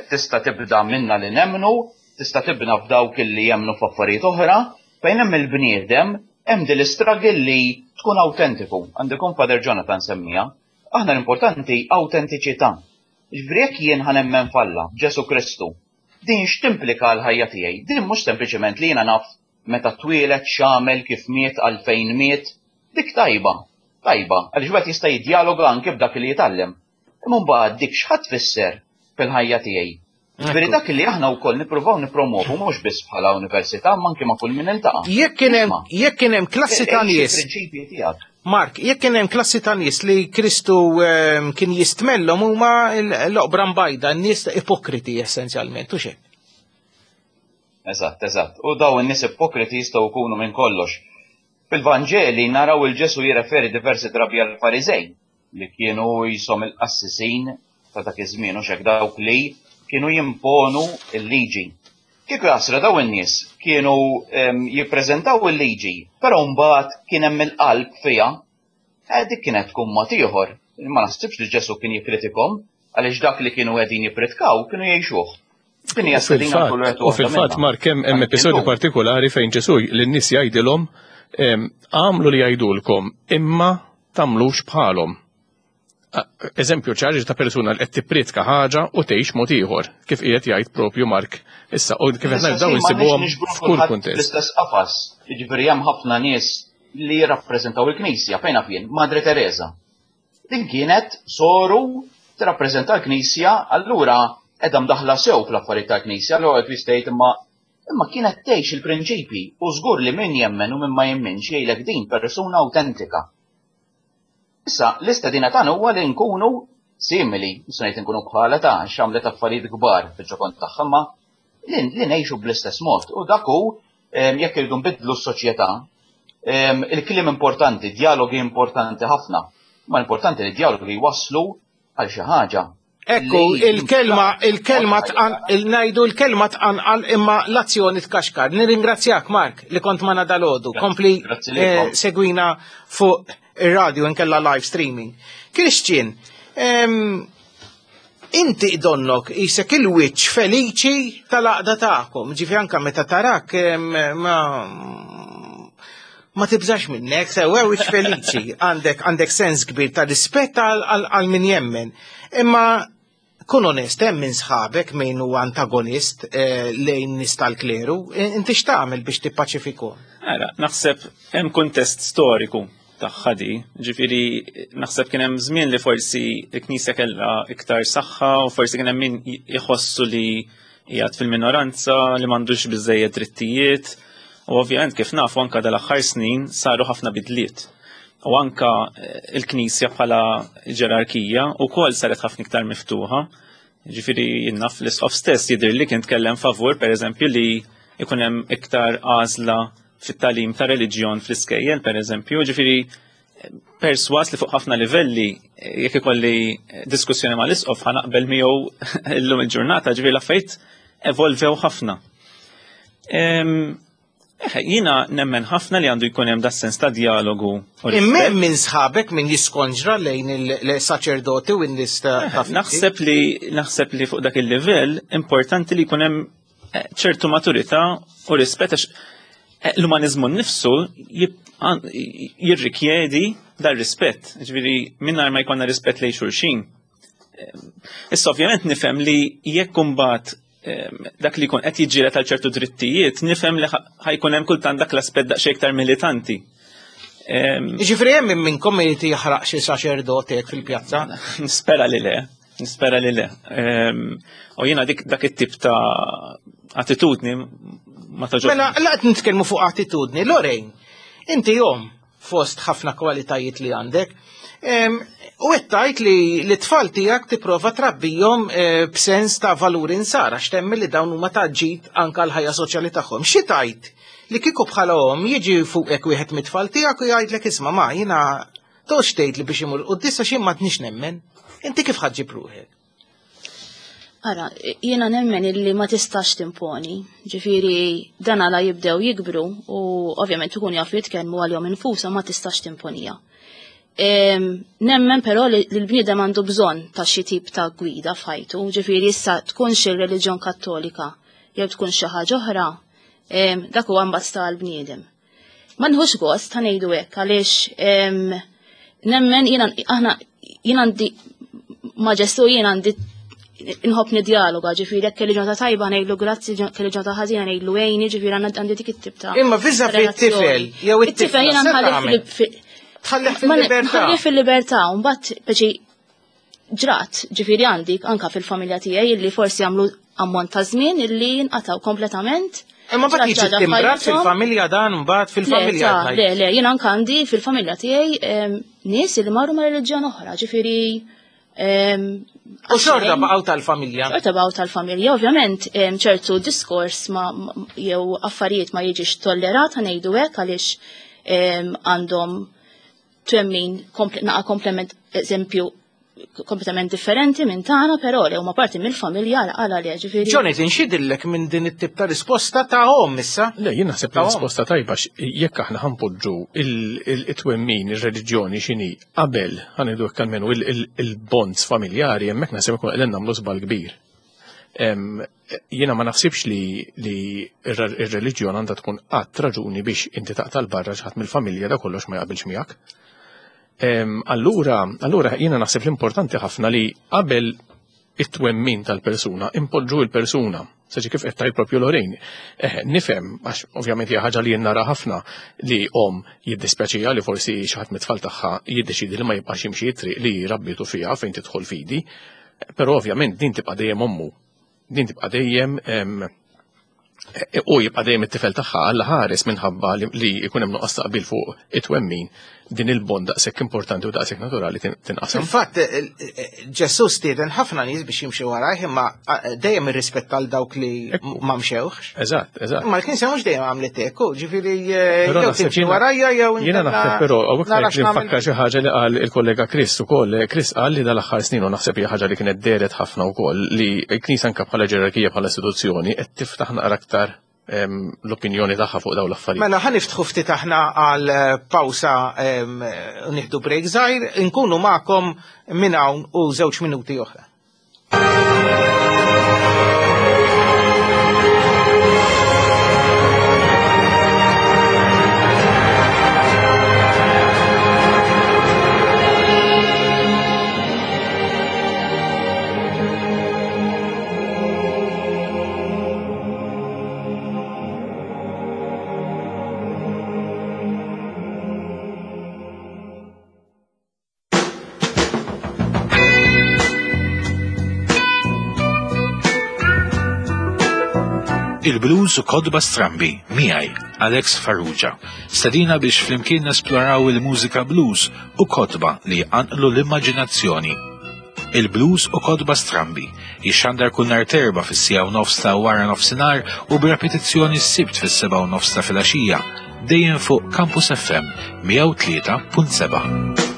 tista' tibda minna li nemmnu, tista' tibna f'dawk li jemmnu f'affarijiet oħra, fejn hemm il-bniedem, hemm din l-istruggle li tkun awtentiku. Għandu Father Jonathan semmija. Aħna l-importanti awtentiċità. Ġifieri jekk jien ħa nemmen f'Alla, f'Ġesù Kristu, din x'timplika għall-ħajja tiegħi? Din mhux sempliċement li jiena naf meta twieled, x'għamel, kif miet, għalfejn miet. Dik tajba, tajba, għaliex wieħed jista' jiddjaloga anke b'dak li jitgħallem. Imma mbagħad dik x'ħa tfisser fil-ħajja tiegħi? Ġifieri dak li aħna wkoll nippruvaw nippromovu mhux biss bħala università imma anke ma' kull min iltaqa'. Jekk kien hemm jekk kien hemm klassi ta' nies. Il-prinċipji tiegħek. Mark, jekk kien hemm klassi ta' nies li Kristu ehm, kien jistmellhom huma l-oqbra mbajda, n-nies ipokriti essenzjalment, u xejn. Eżatt, eżatt. U daw in-nies ipokriti jistgħu jkunu minn kollox. Fil-Vanġeli naraw il-Ġesu jirreferi diversi drabi għall-Fariżej li kienu jisom il-qassisin ta' dak iż-żmien u xek dawk li kienu jimponu l-liġi. Kieku jasra daw in-nies kienu jippreżentaw il-liġi, però mbagħad kien hemm il-qalb fiha, eh, dik kienet tkun mod ieħor. Ma naħsibx li Ġesu kien jikkritikhom għaliex dak li kienu qegħdin jippritkaw kienu jgħixuh. Din hija stedina kull wieħed U fil-fatt Mark hemm hemm episodju partikolari fejn Ġesu lin-nies jgħidilhom għamlu li jgħidulkom imma tagħmlux bħalhom. Eżempju ċar ta' persuna li qed tippriedka ħaġa u tgħix mod ieħor, kif qiegħed jgħid propju Mark issa u kif qed ngħid dawn insibuhom f'kull kuntest. L-istess qafas, jiġifieri hemm ħafna nies li jirrappreżentaw il-Knisja fejn naf jien, Madre Teresa. Din kienet soru tirrappreżenta l-Knisja, allura qiegħda mdaħħla sew fl-affarijiet tal-Knisja, allura qed jistgħid imma imma kienet tgħix il-prinċipji u żgur li min jemmen u min ma jemminx jgħidlek din persuna awtentika. Issa, l-istedina tagħna huwa li nkunu simili, mhux ngħid inkunu bħala ta' għax għamlet affarijiet kbar fil-ġokon tagħha, imma li ngħixu bl-istess mod. U dak hu jekk irridu nbiddlu s-soċjetà, il-kliem importanti, dialogi importanti ħafna. Ma importanti li dialogi jwasslu għal xi ħaġa. Ekku, il-kelma, il-kelma tqan, il-najdu il-kelma tqanqal imma l-azzjoni tkaxkar. Nirringrazzjak, Mark, li kont ma dalodu. Kompli eh, segwina fuq ir-radio inkella live streaming. Christian, inti donnok isek il-wiċċ feliċi tal-għaqda tagħkom, ġifi anka meta tarak ma ma tibżax minnek, sewa wiċ feliċi, għandek għandek sens kbir ta' rispett għal min jemmen. Imma kun onest, hemm minn sħabek min huwa antagonist eh, lejn nies tal-kleru, eh, inti x'tagħmel biex tippaċifiku? Ara, naħseb hemm kuntest storiku tagħha di, ġifieri naħseb kien hemm żmien li forsi l-Knisja kellha iktar saħħa u forsi kien hemm min jħossu li qiegħed fil-minoranza li m'għandux biżejjed drittijiet. U ovvjament kif nafu anka dal-aħħar snin saru ħafna bidliet. U anka eh, il-Knisja bħala ġerarkija u kol saret ħafna iktar miftuħa. Ġifieri jinnaf l-isqof stess jidher li kien tkellem favur pereżempju li ikun hemm iktar għażla fit-talim ta' reliġjon fl-iskejjel pereżempju, ġifieri perswas li fuq ħafna livelli jekk ikolli diskussjoni ma' l-isqof ħanaqbel miegħu illum il-ġurnata, ġifieri l-affarijiet evolvew ħafna. Jiena nemmen ħafna li għandu jkun hemm das-sens ta' dialogu. Imma minn sħabek min jiskonġra lejn il-saċerdoti u n-nies ta' Naħseb li naħseb li fuq dak il-livell importanti li jkun hemm eh, ċertu maturità u rispett għax eh, l-umanizmu nnifsu jirrikjedi dar rispett, ġifieri mingħajr ma jkollna rispett lejn xulxin. Eh, issa ovvjament nifhem li jekk imbagħad dak li jkun qed jiġġieled għal ċertu drittijiet, nifhem li ħajkun hemm kultant dak l-aspett daqsxejn iktar militanti. Ġifieri hemm minn minnkom irid jaħraq xi saċerdot hekk fil-pjazza? Nispera li le. Nispera li le. U jiena dik dak it-tip ta' attitudni ma taġobni. Mela, laqt nitkellmu fuq attitudni, Lorraine, inti jom fost ħafna kwalitajiet li għandek, u qed tgħid li l-tfal tiegħek tipprova trabbihom eh, b'sens ta' valuri nsara x'temmi li dawn huma ta' ġid anke l-ħajja soċjali tagħhom. Xi tgħid li kieku bħala omm jiġi fuqek wieħed mit-tfal tiegħek u jgħidlek isma' ma jiena Toqgħodx tgħidli biex imur quddiem għax jien m'għadnix nemmen. Inti kif ħaġġib ruħek? Ara, jiena nemmen illi ma tistax timponi. Ġifieri dan għala jibdew jikbru u ovvjament ikun jafu jitkellmu għalihom infushom ma tistax timponija. Nemmen però li l-bniedem għandu bżonn ta' xi tip ta' gwida f'ħajtu, ġifieri issa tkunx ir-reliġjon Kattolika jew tkun xi ħaġa oħra, dak huwa mbagħad tal-bniedem. Ma nħux gost ta' ngħidu hekk għaliex nemmen jiena aħna jien għandi ma' Ġesu jien għandi inħobb nidjaloga, ġifieri jekk kelli ġurnata tajba ngħidlu grazzi, kelli ġurnata ħażina ngħidlu għejni, ġifieri għandi dik it-tip ta' Imma viża fit-tifel jew it-tifel jiena nħallih fil-libertà. Nħallih fil-libertà, u mbagħad peċi ġrat, ġifieri għandi anka fil-familja tiegħi illi forsi għamlu ammont ta' żmien illi nqataw kompletament. Imma mbagħad jiġi timbrat fil-familja dan mbagħad fil-familja. Le, le, jien anka għandi fil-familja tiegħi nies illi marru ma' reliġjon oħra, ġifieri U xorta baqgħu tal-familja. Xorta baqgħu tal-familja, ovvjament ċertu diskors ma jew affarijiet ma jiġix tollerat ngħidu hekk għaliex għandhom twemmin naqa komplement eżempju kompletament differenti minn tagħna, però li huma parti mill-familja għala li ġifieri. Jonathan, x'idillek minn din it-tip ta' risposta ta' omm issa? Le, jien naħseb li risposta tajba jekk aħna ħanpoġġu il-twemmin, ir-reliġjoni x'inhi qabel ħanidu hekk almenu il-bonds familjari hemmhekk naħseb ikun qegħdin nagħmlu żball kbir. Jiena ma naħsibx li ir-reliġjon għandha tkun qatt raġuni biex inti taqta' l barra xi ħadd mill-familja da kollox ma jaqbilx miegħek. Allura, allura jiena naħseb l-importanti ħafna li qabel it-twemmin tal-persuna, impoġġu il-persuna. Saġi kif qed tgħid propju Lorraine. Eh, nifhem, għax ovvjament hija ħaġa li jien nara ħafna li om jiddispjaċija li forsi xi ħadd mit-tfal tagħha jiddeċidi li ma jibqax jimxi t-triq li rabbitu fiha fejn tidħol fidi. Però ovvjament din tibqa' dejjem ommu. Din tibqa' dejjem u jibqa' dejjem it-tifel tagħha Alla ħares minħabba li jkun hemm nuqqas taqbil fuq it-twemmin din il-bond daqshekk importanti u daqshekk naturali tinqasam. Fil-fatt Ġesù stieden ħafna nies biex jimxi warajh imma dejjem irrispetta għal dawk li ma mxewx. Eżatt, eżatt. Imma l-Knisja mhux dejjem għamlet hekk, ġifieri jew timxi warajja jew Jiena naħseb però hawnhekk li nfakkar xi ħaġa li qal il-kollega Chris ukoll. Chris qal li dal-aħħar snin u naħseb hija ħaġa li kienet dehret ħafna wkoll li l-Knisja anke bħala ġerarkija bħala istituzzjoni qed tiftaħ naqra aktar l-opinjoni tagħha fuq dawn l-affarijiet. Mela ħa niftħu ftit aħna għal pawsa u nieħdu break żgħir, inkunu magħkom minn hawn u żewġ minuti oħra. Il-blues u kodba strambi, miegħi, Alex Farrugia. Stedina biex flimkien nesploraw il-mużika blues u kotba li jqanqlu l-immaġinazzjoni. Il-blues u kotba strambi jixxandar kull nhar terba fis-siegħa u nofs ta' wara nofsinhar u b'repetizzjoni s-Sibt fis-sebgħa u nofs ta' filgħaxija, dejjem fuq Campus FM 103.7.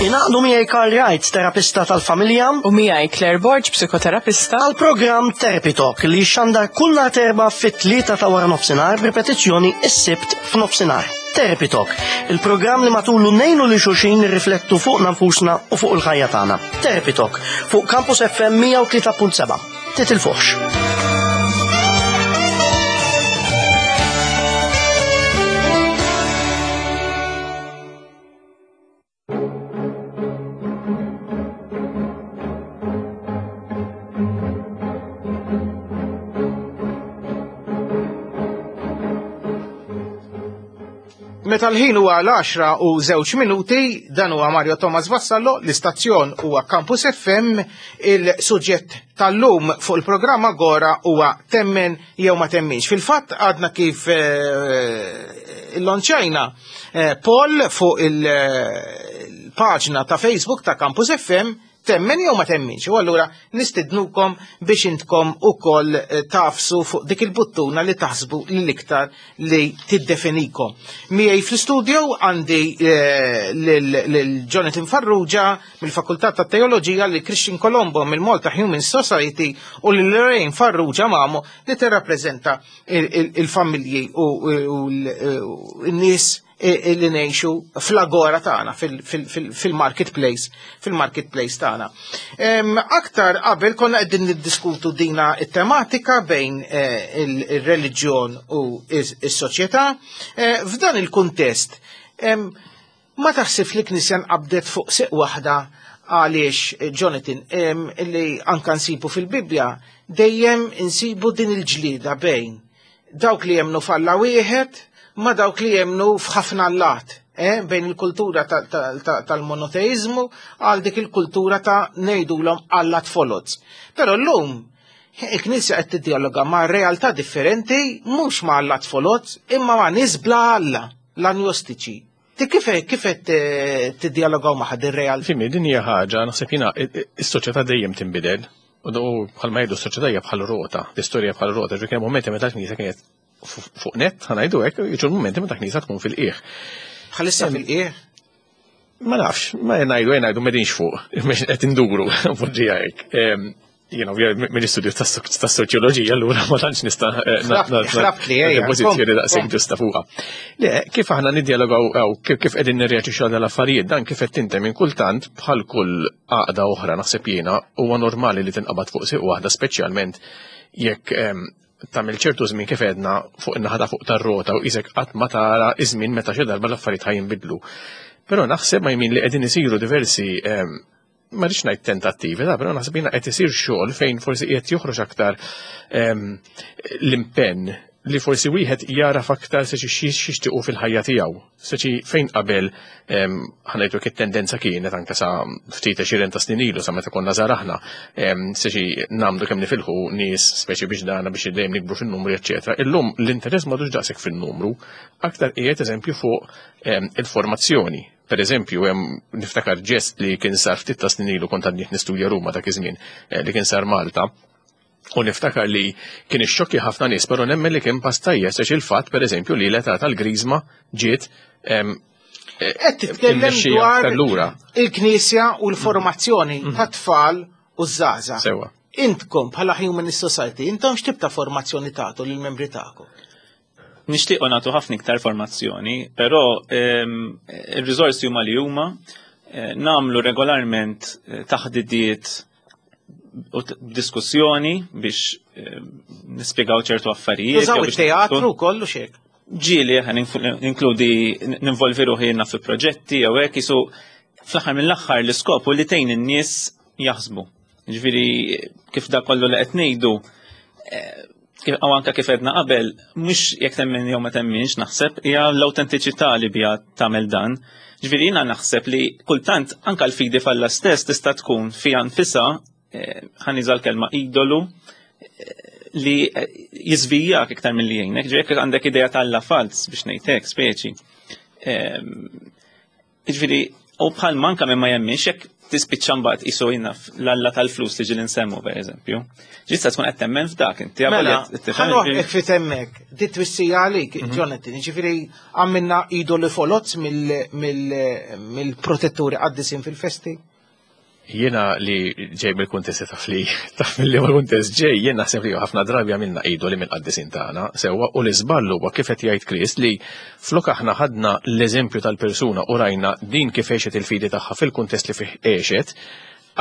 Ingħaqdu miegħi Karl Wright, terapista tal-familja. U miegħi Claire Borg, psikoterapista. Għal programm Therapy Talk li xandar kull nhar terba fit-tlieta ta' wara nofsinhar b'ripetizzjoni s-Sibt f'nofsinhar. Therapy Talk, il-programm li matulu ngħinu li xulxin nirriflettu fuqna nfusna u fuq il-ħajja tagħna. Therapy Talk fuq Campus FM 103.7. Titilfuħx. Meta l-ħin huwa l-10 u żewġ minuti, dan huwa Mario Thomas Vassallo, l-istazzjon huwa Campus FM, il-suġġett tal-lum fuq il-programm Agora huwa temmen jew ma temminx. Fil-fatt għadna kif eh, lonċajna eh, poll fuq il-paġna ta' Facebook ta' Campus FM temmen jew ma temminx. U allura nistidnukom biex intkom ukoll eh, tafsu fuq dik il-buttuna li taħsbu l-iktar li tiddefinikom. Miegħi fl-studio għandi eh, lil Jonathan Farrugia mill-Fakultà ta' Teoloġija li Christian Colombo mill-Malta Human Society u lil Lorraine Farrugia Mamo li tirrappreżenta il-familji u n-nies li ngħixu fl-agora tagħna fil-marketplace fil-marketplace tagħna. Aktar qabel konna qegħdin niddiskutu dina it-tematika bejn eh, il-reliġjon u s-soċjetà. Eh, f'dan il-kuntest, ma taħsib li knisja nqabdet fuq siq waħda għaliex eh, Jonathan li anka nsibu fil-Bibbja dejjem insibu din il-ġlida bejn dawk li jemnu f'Alla wieħed ma dawk li jemnu f'ħafna allat, eh, bejn il-kultura tal-monoteizmu għal dik il-kultura ta' ngħidulhom allat foloz. Però llum il-Knisja qed tiddialoga ma' realtà differenti mhux ma' allat foloz imma ma' nies bla Alla, l-anjostiċi. Ti kif kif qed eh, tiddialogaw ma' ħadd ir-realtà? Fimni, din hija ħaġa, naħseb jiena is-soċjetà dejjem tinbidel. U bħalma jgħidu s-soċjetà hija bħal rota, l-istorja bħal rota, ġifieri kien momenti meta l-Knisja kienet fuq net, ħa ngħidu hekk, jiġu l-mumenti meta knisja tkun fil-qiegħ. Bħalissa fil-qiegħ? Ma nafx, ma ngħidu ngħidu m'qegħdinx fuq, qed induru poġġija hekk. Jiena mill-istudju tas-soċjoloġija allura ma tantx nista' eh, pożizzjoni daqshekk ġusta fuqha. Le, kif aħna niddjalogaw kif qegħdin nirreaġixxu għal affarijiet dan kif qed tintem minn kultant bħal kull għaqda oħra naħseb jiena huwa normali li tinqabad fuq siq waħda speċjalment jekk tagħmel ċertu żmien kif għedna fuq in-naħa ta' fuq tar-rota u qisek qatt ma tara iż-żmien meta xi darba l-affarijiet ħa jinbidlu. Però naħseb ma jmin li qegħdin isiru diversi ehm, ma rridx ngħid tentattivi, ta' però naħseb jiena qed isir xogħol fejn forsi qiegħed joħroġ aktar ehm, l-impenn li forsi wieħed jaraf aktar se xi xixtiequ fil-ħajja tiegħu. Speċi fejn qabel ħanajtu it-tendenza kienet anke sa ftit għexieren ta' snin ilu sa meta konna żgħar aħna, speċi nagħmlu kemm nifilħu nies speċi biex dana biex dejjem nikbru fin-numri eċċetera. Illum l-interess m'għadux daqshekk fin-numru, aktar qiegħed eżempju fuq il-formazzjoni. Per eżempju, hemm niftakar ġest li kien sar ftit ta' snin ilu kont għadni nistudja Ruma dak iż-żmien eh, li kien sar Malta U niftakar li kien ixxokkja ħafna nies, però nemmen li kien pass tajjeb għax il-fatt pereżempju li l-età tal-griżma ġiet Qed titkellem dwar il-Knisja u l-formazzjoni mhm. tat-tfal u ż-żgħażagħ. Sewa. Intkom bħala Humanist Society, intom x'tip ta' formazzjoni tagħtu lill-membri tagħkom? Nixtiequ nagħtu ħafna iktar formazzjoni, però ir-riżorsi huma li huma, eh, nagħmlu regolarment eh, taħdidiet u diskussjoni biex eh, nispjegaw ċertu affarijiet. Użaw it-teatru kollu xek. Ġieli inkludi ninvolvi ruħi fi proġetti jew hekk isu fl-aħħar mill-aħħar l-iskop u li tgħin in-nies jaħsbu. Ġifieri kif da kollu li qed ngħidu u anka kif edna qabel, mhux jekk temmen jew ma temminx naħseb, hija l-awtentiċità li biha tagħmel dan. Ġifieri jiena naħseb li kultant anka l-fidi falla stess tista' tkun fiha nfisha eh, ħaniża l-kelma idolu eh, li eh, jiżvijak iktar milli jgħinek, ġifieri jekk għandek idea tal fals biex ngħidlek speċi. Jiġifieri, u bħal manka minn ma jemminx jekk tispiċċa mbagħad qisu jinaf l-alla tal-flus li ġieli nsemmu pereżempju. Ġista tkun qed temmen f'dak inti mela, ħanoħ fit hemmhekk, di twissija għalik, mhm. Jonathan, jiġifieri għamilna idoli folozz mill-protetturi qaddisin fil-festi. Jiena li ġej mill-kuntest taf li taf mill ma kuntest ġej, jien naħseb li ħafna drabi għamilna idoli minn qaddisin tagħna, sewwa u l-iżball huwa kif qed jgħid Chris li flok aħna ħadna l-eżempju tal-persuna u rajna din kif għexet il-fidi tagħha fil-kuntest li fih għexet,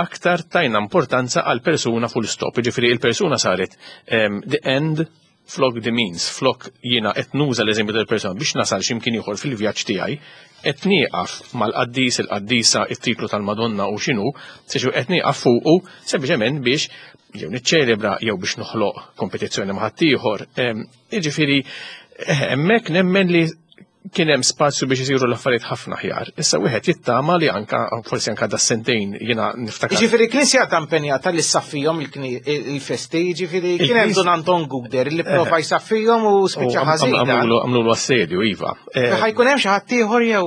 aktar tajna importanza għal persuna full stop. Ġifieri il-persuna saret ehm, the end flok the means, flok jiena qed nuża l-eżempju tal-persuna biex nasal x'imkien ieħor fil-vjaġġ tiegħi, qed nieqaf mal-qaddis, il-qaddisa, it-titlu tal-Madonna u x'inhu, seġu qed nieqaf fuqu sempliċement biex jew niċċelebra jew biex noħloq kompetizzjoni ma' ħaddieħor. Jiġifieri eh, hemmhekk nemmen li kien hemm spazju biex isiru l-affarijiet ħafna aħjar. Issa wieħed jittama li anka forsi anka da sentejn jiena niftakar. Jiġifieri knisja ta' impenjata li ssaffihom il-festi, jiġifieri kien hemm Dun Anton Guder li prova eh. jsaffihom u spiċċa ħażin. Għamlu assedju iva. Eh, Ħajkun hemm xi ħadd ieħor jew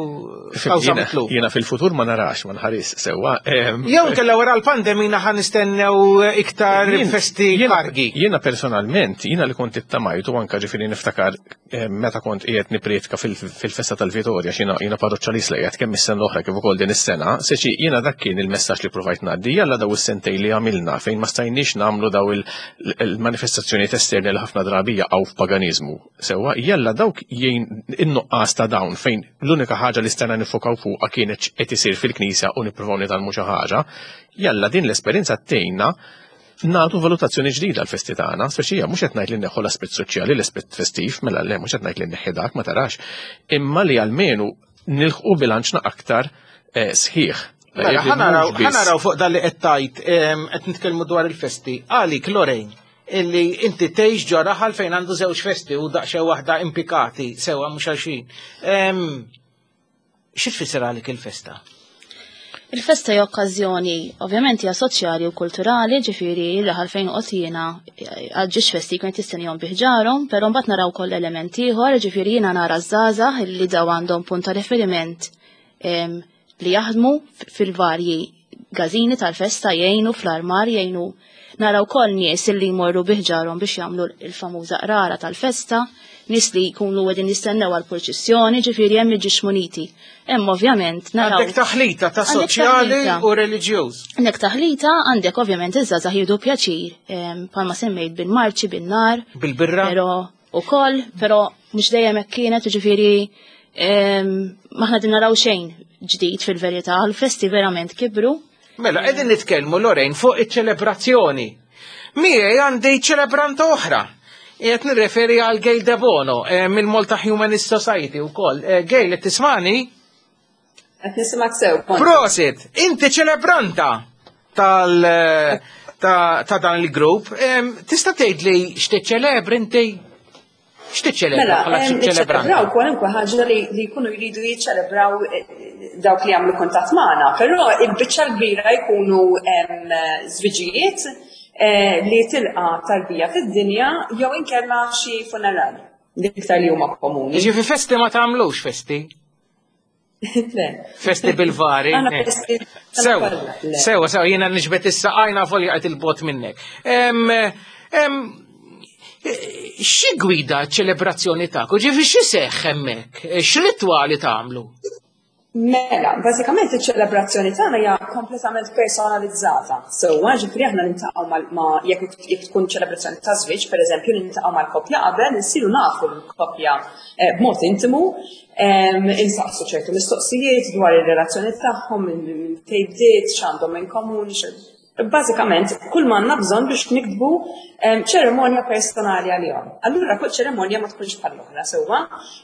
kawża mitlub. Jiena fil-futur ma narax, ma nħaris sewwa. Jew kella wara l-pandemija ħa nistennew iktar festi kargi. Jiena personalment, jiena li kont ittamajtu anka ġifieri niftakar Eh, meta kont qiegħed niprietka fil-festa tal-Vitorja xina jiena parroċċalist li qiegħed kemm is-sena l-oħra kif ukoll din is-sena, seċi jiena dak kien il-messaġġ li provajt ngħaddi jalla daw is-sentej li għamilna fejn ma stajniex nagħmlu daw il-manifestazzjonijiet esterni li ħafna drabi jaqgħu f'paganiżmu. Sewwa jalla dawk jgħin in-nuqqas ta' dawn fejn l-unika ħaġa li stajna nifokaw fuqha kienet qed isir fil-knisja u nippruvaw nitgħallmu xi ħaġa, jalla din l-esperjenza tgħinna nagħtu valutazzjoni ġdida l-festi tagħna, speċija mhux qed ngħid li neħħu l-aspett soċjali, l-aspett festiv, mela le mhux qed ngħid li neħħi dak ma tarax, imma li almenu nilħqu bilanċna aktar eh, sħiħ. Mela, ħanaraw fuq dan li qed tgħid qed nitkellmu dwar il-festi. Għalik Lorraine, illi inti tgħix ġo raħal fejn għandu żewġ festi u daqsxejn waħda impikati sewwa mhux għal Xi tfisser għalik il-festa? Il-festa hija okkażjoni ovvjament hija soċjali u kulturali, ġifieri raħal fejn qod jiena għal ġiex festi jkun qed jistennihom bi ħġarhom, però mbagħad naraw ukoll element ieħor, ġifieri jiena nara żgħażagħ li daw għandhom punt ta' riferiment li jaħdmu fil-varji gażini tal-festa jgħinu fl-armar jgħinu. Naraw ukoll nies li jmorru bi ħġarhom biex jagħmlu l-famuża qrara tal-festa, nies li jkunu qegħdin jistennew għall-purċissjoni, ġifieri hemm iġiex muniti. Hemm ovvjament naraw. Għandek taħlita ta' soċjali u reliġjuż. Għandek taħlita, għandek ovvjament iż-żgħażagħ jieħdu pjaċir, bħalma semmejt bil-marċi, bin-nar. Bil-birra. Però ukoll, però mhux dejjem hekk kienet, ġifieri maħna din naraw xejn ġdid fil-verità, l-festi verament kibru. Mela, qegħdin nitkellmu Lorraine fuq iċ-ċelebrazzjoni. Miegħi għandi ċelebranta oħra. Qed nirreferi għal Gail Debono eh, mill-Malta Humanist Society wkoll. Eh, Gail, qed tismani? Qed nisimgħek sew. Prosit, inti ċelebranta tal eh, ta' dan il-grupp. Tista' tgħidli x'tiċċelebri inti? X'tiċċelebra mela, bħala ċelebrant? Niċċelebraw kwalunkwe ħaġa li jkunu jridu jiċċelebraw eh, dawk li jagħmlu kuntatt magħna, però il-biċċa l-kbira jkunu żwiġijiet eh, li tilqa tarbija fid-dinja jew inkella xi funeral l-iktar li huma komuni. Ġifi festi ma tagħmlux festi? Festi bil-vari. Sewa, sewa, sewa, jiena nġbet issa għajna folja għet il-bot minnek. Xi gwida ċelebrazzjoni ta' Ġifi xi seħ hemmhekk? X'ritwali tagħmlu? Mela, bażikament iċ-ċelebrazzjoni tagħna hija kompletament personalizzata. Sewwa, ġifieri aħna niltaqgħu ma' jekk tkun ċelebrazzjoni ta' żwieġ, pereżempju, niltaqgħu mal-koppja qabel, insiru nafu l-koppja eh, b'mod intimu, Insaqsu ċertu mistoqsijiet dwar ir-relazzjoni tagħhom, minn fejn bdiet, x'għandhom in komun, bażikament kull ma għandna bżonn biex niktbu ċerimonja personali għalihom. Allura kull ċerimonja ma tkunx bħal oħra sewwa,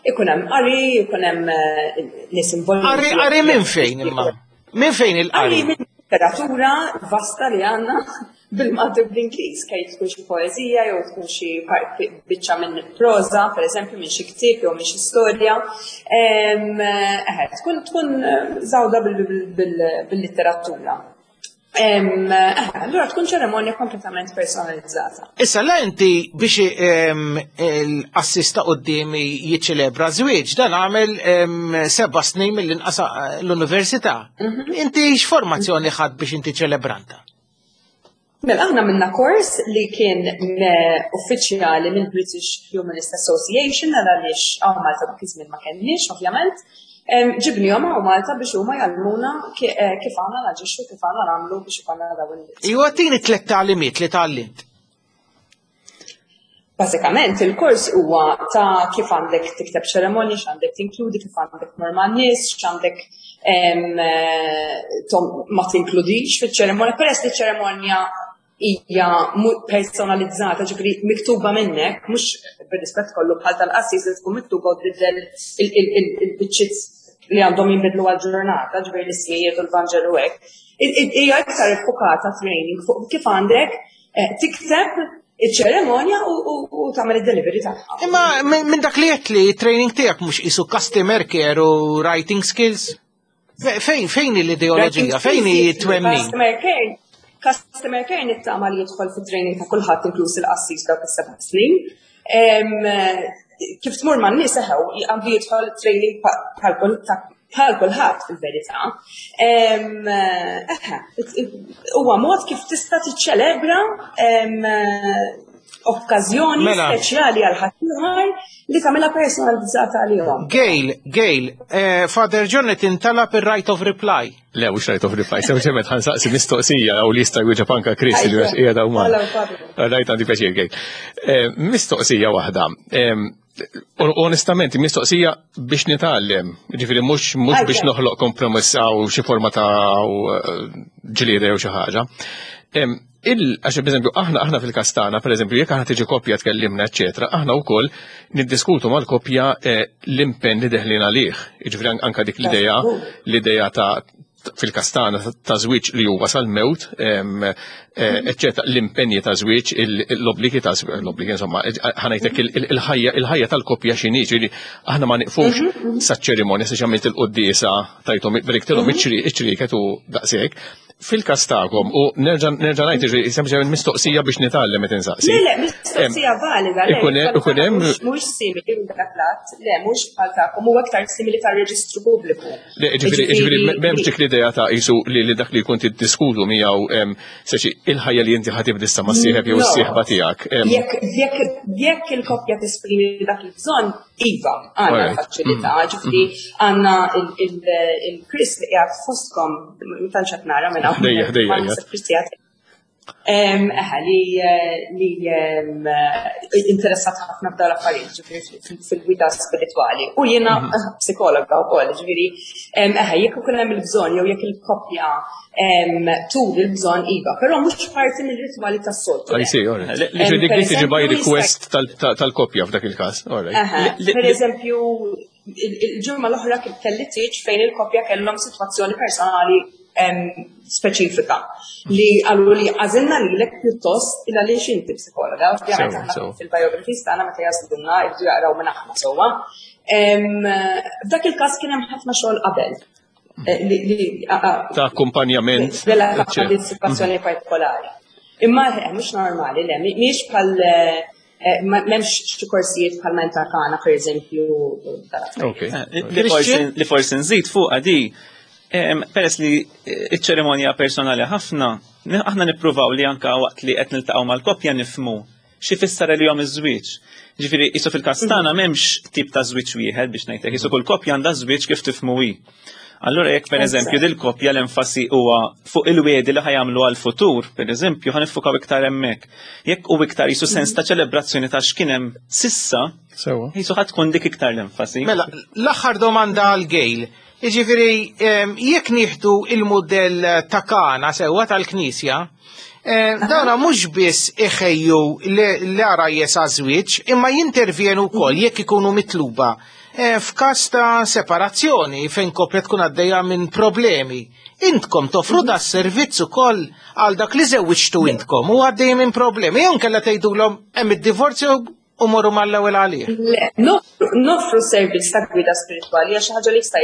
ikun hemm qari, ikun hemm eh, nies involuti. Qari qari minn fejn imma? Minn fejn il-qari? Qari minn literatura vasta li għandna bil-Malti u bl-Ingliż, kej tkun xi poeżija jew tkun xi biċċa minn proża, pereżempju minn xi ktieb jew minn xi storja. Eħe, tkun tkun żawda bil-litteratura. Allura tkun ċeremonja kompletament personalizzata. Issa la inti biex l-assista qudiemi jiċċelebra żwieġ dan għamel seba' snin mill-inqas l-università. Mhm. Inti x'formazzjoni ħadd biex inti ċelebranta? Mela aħna minna kors li kien uffiċjali mill British Humanist Association għal għaliex hawn Malta dak iż-żmien ma kenniex ovvjament. Ġibnihom hawn Malta biex huma jgħallmuna eh, kif għandna naġixxu kif għandna nagħmlu biex ikollna dawn il Iwa tini tliet tagħlimiet li tgħallimt. Bażikament il-kors huwa ta' kif għandek tikteb ċeremonji, x'għandek tinkludi, kif għandek tmur man-nies, x'għandek eh, ma tinkludix fiċ-ċeremonja, peress li ċeremonja hija personalizzata, ġifieri miktuba minnek, mhux bir-rispett kollu bħal tal-qassis li tkun miktuba u tbiddel il-biċċiet li għandhom jinbidlu għal-ġurnata, ġifieri l-ismijiet u l-Vanġelu hekk. Hija iktar iffukata training fuq kif għandek Eh, tikteb iċ-ċeremonja u tagħmel id-delivery tagħha. Imma minn dak li qed li training tiegħek mhux qisu customer care u writing skills? Fejn fejn l-ideoloġija, fejn hi twemmin? Customer care, customer care nittama li jidħol fit-training ta' kulħadd inkluż il-qassis dawk is-seba' snin. Kif tmur man nies eħew, għandu jidħol training bħal kulħadd fil-verità. Huwa mod kif tista' tiċċelebra okkażjoni mela. speċjali għal ħaddieħor li tagħmilha personalizzata għalihom. Gail, Gail, eh, Father John qed intalab ir-right of reply. Le, mhux right of reply, sempliċement ħansaqsi mistoqsija u li jista' jwieġeb anka Chris li għax qiegħda huma. Rajt għandi pjaċir Gail. Eh, mistoqsija waħda. Onestament, mistoqsija biex nitgħallem, ġifieri mhux mhux biex noħloq kompromess għaw xi forma ta' eh, ġlieda jew xi ħaġa. Għax per aħna aħna fil-kastana, per eżempju, jekk aħna tiġi koppja tkellimna, eċetera, aħna wkoll niddiskutu mal-koppja eh, l-impenn li deħlin għalih. Jiġifieri anka dik l-idea, l-idea ta' fil-kastana ta' żwieġ li huwa sal-mewt, eh, eċetera, l-impenji ta' żwieġ, l-obbligi ta' żwieġ, l-obbligi insomma, ħanajtek il-ħajja il-ħajja tal-koppja x'inhi, ġifieri aħna ma niqfux mhm, mhm. saċ-ċerimonja sa x'għamilt il-quddiesa tajthom beriktilhom mhm. iċ-ċrieket u daqshekk. Fil-każ tagħkom, u nerġa' nerġa' ngħid jiġri sempliċement mistoqsija biex nitgħallem qed insaqsi. Le, le, mistoqsija valida. le, Ikun hemm- ikun hemm- Mhux simili minn dak l-att, le, mhux bħal tagħkom, huwa aktar simili tar-reġistru pubbliku. Le, ġifieri, ġifieri, m'hemmx dik l-idea ta' qisu li li dak li jkun tiddiskutu miegħu em, seċi il-ħajja li inti ħa tibda issa mas-sieħeb jew No. is-sieħba tiegħek. em, Jekk jekk jekk il-koppja tesprimi dak il-bżonn, iva, għandna l-faċilità, ġifieri għandna il-Chris li qiegħed fostkom, ma tantx qed nara minn hawn. Dejja, dejja, Ma naħseb Chris qiegħed. Eħe, li li interessat ħafna f'dawn l-affarijiet, ġifieri fil-gwida spiritwali. U jiena psikologa wkoll, ġifieri eħe, jekk ikun hemm il-bżonn jew jekk il-koppja turi l-bżonn iva, però mhux parti mill-ritwali tas-soltu. I see, all right. Ġifieri dik dik tiġi by request tal-koppja f'dak il-każ, all right. Per eżempju, il-ġimgħa l-oħra kelli tieġ fejn il-koppja kellhom sitwazzjoni personali speċifika li qalu li għażilna lilek pjuttost il għaliex inti psikologa, ovvjament aħna fil-biographies tagħna meta jażlulna jibdu jaqraw minn aħna sewwa. F'dak il-każ kien hemm ħafna xogħol qabel. Ta' akkumpanjament. Relatat ma' din situazzjoni partikolari. Imma mhux normali, le, mhix bħal m'hemmx xi korsijiet bħal menta tagħna pereżempju. Li forsi nżid fuqha di, peress li iċ-ċerimonja personali ħafna, aħna nippruvaw li anka waqt li qed niltaqgħu mal-koppja nifhmu xi fisser għalihom iż-żwieġ. Ġifieri qisu fil-każ tagħna m'hemmx tip ta' żwieġ wieħed biex ngħidlek, qisu kull koppja għandha żwieġ kif tifhmu hi. Allura jekk pereżempju dil koppja l-enfasi huwa fuq il-wiedi li ħajamlu għal-futur, pereżempju, ħa niffukaw iktar hemmhekk. Jekk hu iktar qisu sens ta' ċelebrazzjoni ta' x'kien hemm sissa, qisu ħa tkun dik iktar l-enfasi. Mela, l-aħħar domanda għal Gail. Jiġifieri jekk nieħdu il-mudell ta' Kana sewwa tal-Knisja, dawna mhux biss iħejju l-għarajjes għaż-żwieġ, imma jintervjenu wkoll jekk ikunu mitluba f'każ ta' separazzjoni fejn koppja tkun għaddejja minn problemi. Intkom toffru da servizz ukoll għal dak li żewwiġtu intkom u għaddej minn problemi, jew inkella tgħidulhom hemm id-divorzju u morru mal-ewwel għalih. Le, noffru servizz ta' gwida spiritwali għax xi ħaġa li jista'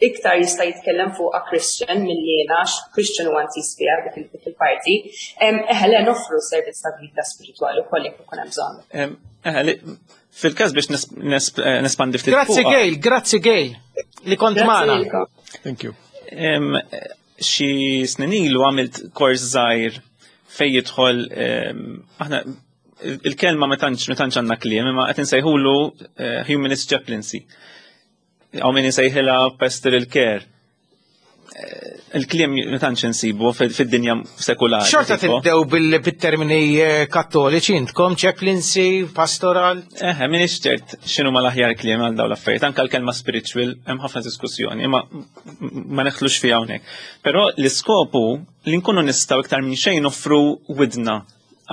iktar jista' jitkellem fuqha Christian milli jiena, għax Christian huwa intiż fiha dik il-parti. Eħe, le, noffru servizz ta' gwida spiritwali wkoll jekk ikun hemm bżonn. Eħe, fil-każ biex nespandi ftit Grazzi fuqha. Gail, grazzi Gail li kont Grazzi magħna. lilkom. Thank you. Xi snin ilu għamilt kors żgħir fejn jidħol, aħna il-kelma ma tantx għandna kliem, imma qed insejħulu humanist chaplaincy. Hawn min insejħilha pastoral care. Il-kliem ma tantx insibu fid-dinja sekulari. Xorta tipo. tibdew bil-termini kattoliċi intkom, chaplaincy, pastoral? Eħe, minix ċert x'inhu ma l-aħjar kliem għal dawn l-affarijiet, anke l-kelma spiritual hemm ħafna diskussjoni, imma ma neħlux fiha hawnhekk. Però l-iskopu li nkunu nistgħu iktar minn xejn noffru widna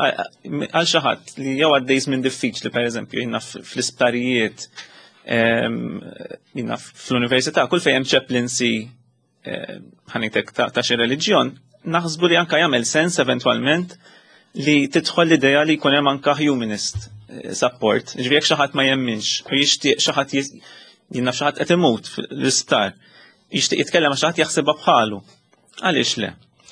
għal xi ħadd li jew għaddej żmien diffiċli, pereżempju, jiena fl-isptarijiet, jiena fl-università, kull fejn hemm chaplaincy, ħanitek ta' xi reliġjon, naħsbu li anka jagħmel sens eventwalment li tidħol l-idea li jkun hemm anka humanist support. Ġifieri jekk xi ħadd ma jemminx u jixtieq xi ħadd jien naf xi ħadd qed imut fl-isptar, jixtieq jitkellem ma' xi ħadd jaħsibha bħalu. Għaliex le?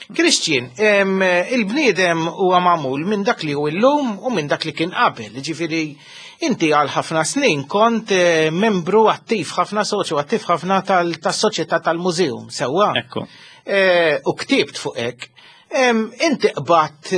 Christian, il-bniedem huwa magħmul minn dak li hu llum u minn dak li kien qabel. Ġifieri inti għal ħafna snin kont membru attiv ħafna, soċju attiv ħafna tas-soċjetà tal-mużeum, sewwa? Ekku. U ktibt fuq hekk. Inti qbadt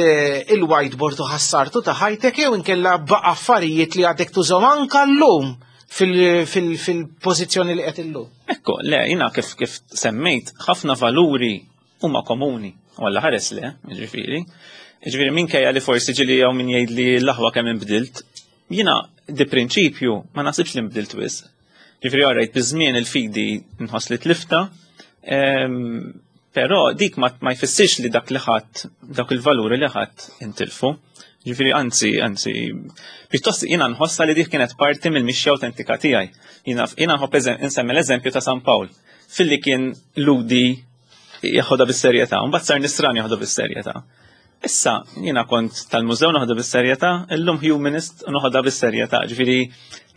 il-whiteboard u ħassartu ta' ħajtek jew inkella baqa' affarijiet li għadek tużhom anka llum fil-pożizzjoni li qed illum? Ekku, le, jiena kif semmejt, ħafna valuri huma komuni, u Alla ħares le, ġifieri. Ġifieri minkejja li forsi ġieli jew min jgħid li l-aħwa kemm inbdilt, jiena di prinċipju ma naħsibx li nbdilt wisq. Ġifieri għarajt biż-żmien il-fidi nħoss li tlifta, però dik ma jfissirx li dak li ħadd, dak il-valuri li ħadd intilfu. Ġifieri anzi, anzi, pjuttost jiena nħossha li dik kienet parti mill-mixja autentika tiegħi. Jiena nħobb insemmi l-eżempju ta' San Pawl, filli kien ludi jaħodha bis-serjetà, u mbagħad sar nisran jaħodha bis-serjetà. Issa jiena kont tal-mużew naħodha bis-serjetà, illum humanist u noħodha bis-serjetà. Ġifieri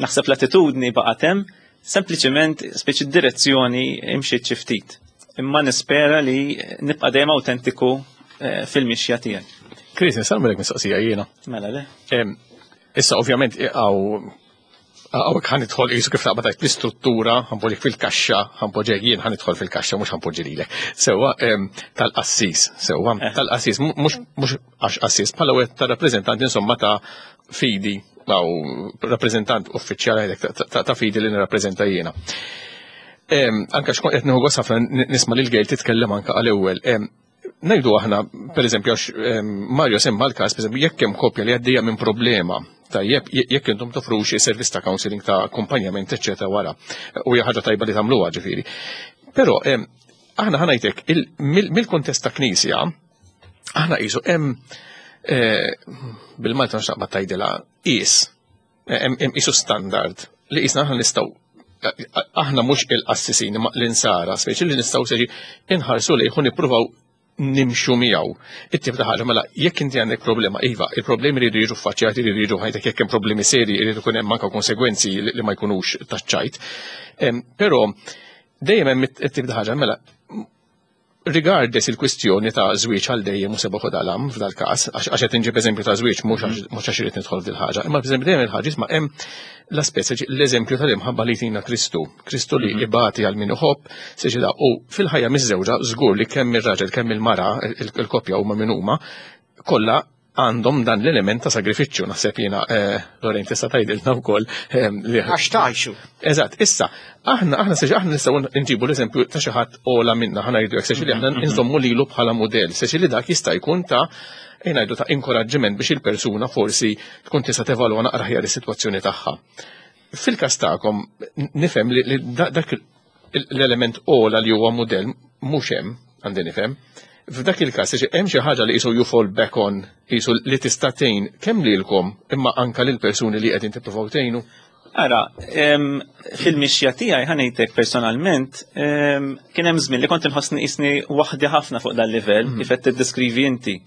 naħseb l-attitudni baqgħet hemm, sempliċement speċi d-direzzjoni imxiet xi ftit. Imma nispera li nibqa' dejjem awtentiku eh, fil-mixja tiegħi. Chris, nista' nagħmellek mistoqsija jiena. Mela le. Issa ovvjament għaw għawek ħan idħol jisu kif taqbad l-istruttura, ħanpoġġik fil-kaxxa, ħanpoġġek jien ħan idħol fil-kaxxa, mhux ħanpoġġi lilek. Sewwa tal-qassis, sewwa eh. tal-qassis, mhux għax qassis, bħala wieħed ta' rappreżentant insomma ta' fidi, aw rappreżentant uffiċjali ta' fidi li nirrappreżenta jiena. Anka xkont qed nieħu gost ħafna nisma' lil Gejl titkellem anka għal ewwel. Ngħidu aħna, pereżempju, għax Mario semma l-każ, pereżempju, jekk hemm koppja li għaddejja minn problema, tajjeb, jekk intom toffru xi servizz ta' counseling ta' akkumpanjament, eċċetera wara. U hija ħaġa tajba li tagħmluha ġifieri. Però aħna ħanajtek mill-kuntest ta' knisja, aħna qisu hemm eh, bil-Malta nxaqba tajdilha qis hemm qisu standard li qisna aħna nistgħu aħna mhux il-qassisin imma l-insara, speċi li nistgħu seġi inħarsu lejh u nippruvaw nimxu miegħu. It-tip ta' ħaġa mela jekk inti għandek problema, iva, il-problemi jridu jiġu ffaċċjati, jridu jiġu ħajtek jekk hemm problemi seri, jridu jkun hemm anke konsegwenzi li ma jkunux taċ-ċajt. Però dejjem hemm it-tip ta' ħaġa mela regardless il-kwistjoni ta' żwieġ għal dejjem u sebaħu dalam f'dal-każ, għax qed inġib eżempju ta' żwieġ mhux mhux għax irid nidħol f'dil ħaġa, imma pereżempju dejjem il-ħaġa isma' hemm l-aspett l-eżempju tal-imħabba li jtina Kristu, Kristu li mhm. ibati għal min iħobb, seġi da u fil-ħajja miż-żewġa żgur li kemm ir-raġel kemm il-mara il-koppja huma min huma kollha għandhom dan l-element ta' sagrifiċċju, naħseb jiena eh, Lorraine tista' tgħidilna wkoll. Eh, Għax tgħixu. Eżatt, issa, aħna aħna seġi aħna nistgħu nġibu l-eżempju ta' xi ħadd ola minna ħana jgħidu hekk seġi li aħna mhm, mhm. nżommu lilu bħala mudell, seġi li dak jista' jkun ta' ngħidu ta' inkoraġġiment biex il-persuna forsi tkun tista' tevalwa naqra ħjar is-sitwazzjoni tagħha. Fil-każ tagħkom nifhem li dak l-element ola li huwa mudell mhux hemm, għandi nifhem. F'dak il-każ hemm xi ħaġa li qisu you fall back on, qisu li tista' tgħin kemm lilkom imma anka lil persuni li qegħdin tippruvaw tgħinu. Ara, fil-mixja tiegħi ħanejtek personalment, kien hemm żmien li kont inħossni qisni waħdi ħafna fuq dal-livell mhm. kif qed tiddeskrivi inti.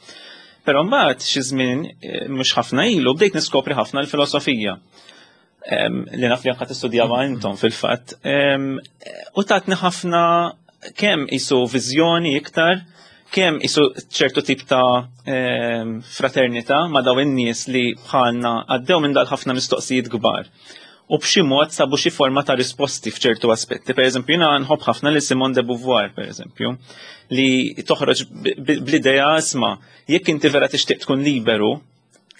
Però mbagħad xi żmien eh, mhux ħafna ilu bdejt niskopri ħafna l-filosofija li naf li anka tistudjawha intom fil-fatt. U tatni ħafna kemm isu viżjoni iktar, kemm isu ċertu tip ta' fraternità ma' daw in-nies li bħalna għaddew minn dal-ħafna mistoqsijiet kbar. U b'xi mod sabu xi forma ta' risposti f'ċertu aspetti. Per eżempju, jiena nħobb ħafna li Simone de Beauvoir, per eżempju, li toħroġ bl-idea isma' jekk inti vera tixtieq tkun liberu,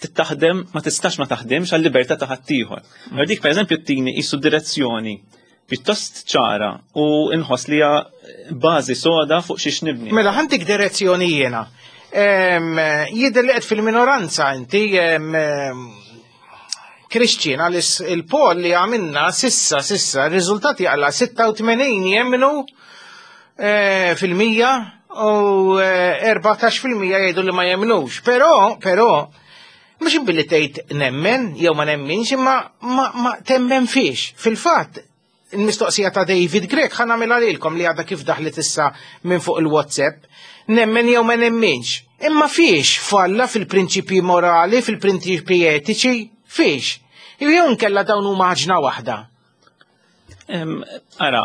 taħdem ma tistax ma taħdimx għal libertà ta' ħaddieħor. Mm. Dik pereżempju tini qisu direzzjoni pjuttost ċara u nħoss li hija bażi soda fuq xiex nibni. Mela ħantik direzzjoni jiena. Jidher li qed fil-minoranza inti Christian għalis il-poll li għamilna sissa sissa r-riżultati għala 86 jemmnu eh, fil-mija u 14 eh, fil-mija jgħidu li ma jemmnux. Però, però, mhux billi tgħid nemmen jew ma nemminx imma ma, ma temmen fiex. Fil-fatt, il-mistoqsija ta' David Grech ħa nagħmilha lilkom li għadha kif daħlet issa minn fuq il-WhatsApp. Nemmen jew ma nemminx. Imma fiex falla fil-prinċipji morali, fil-prinċipji etiċi, fiex. Jew nkella dawn huma ħaġna waħda. Ara,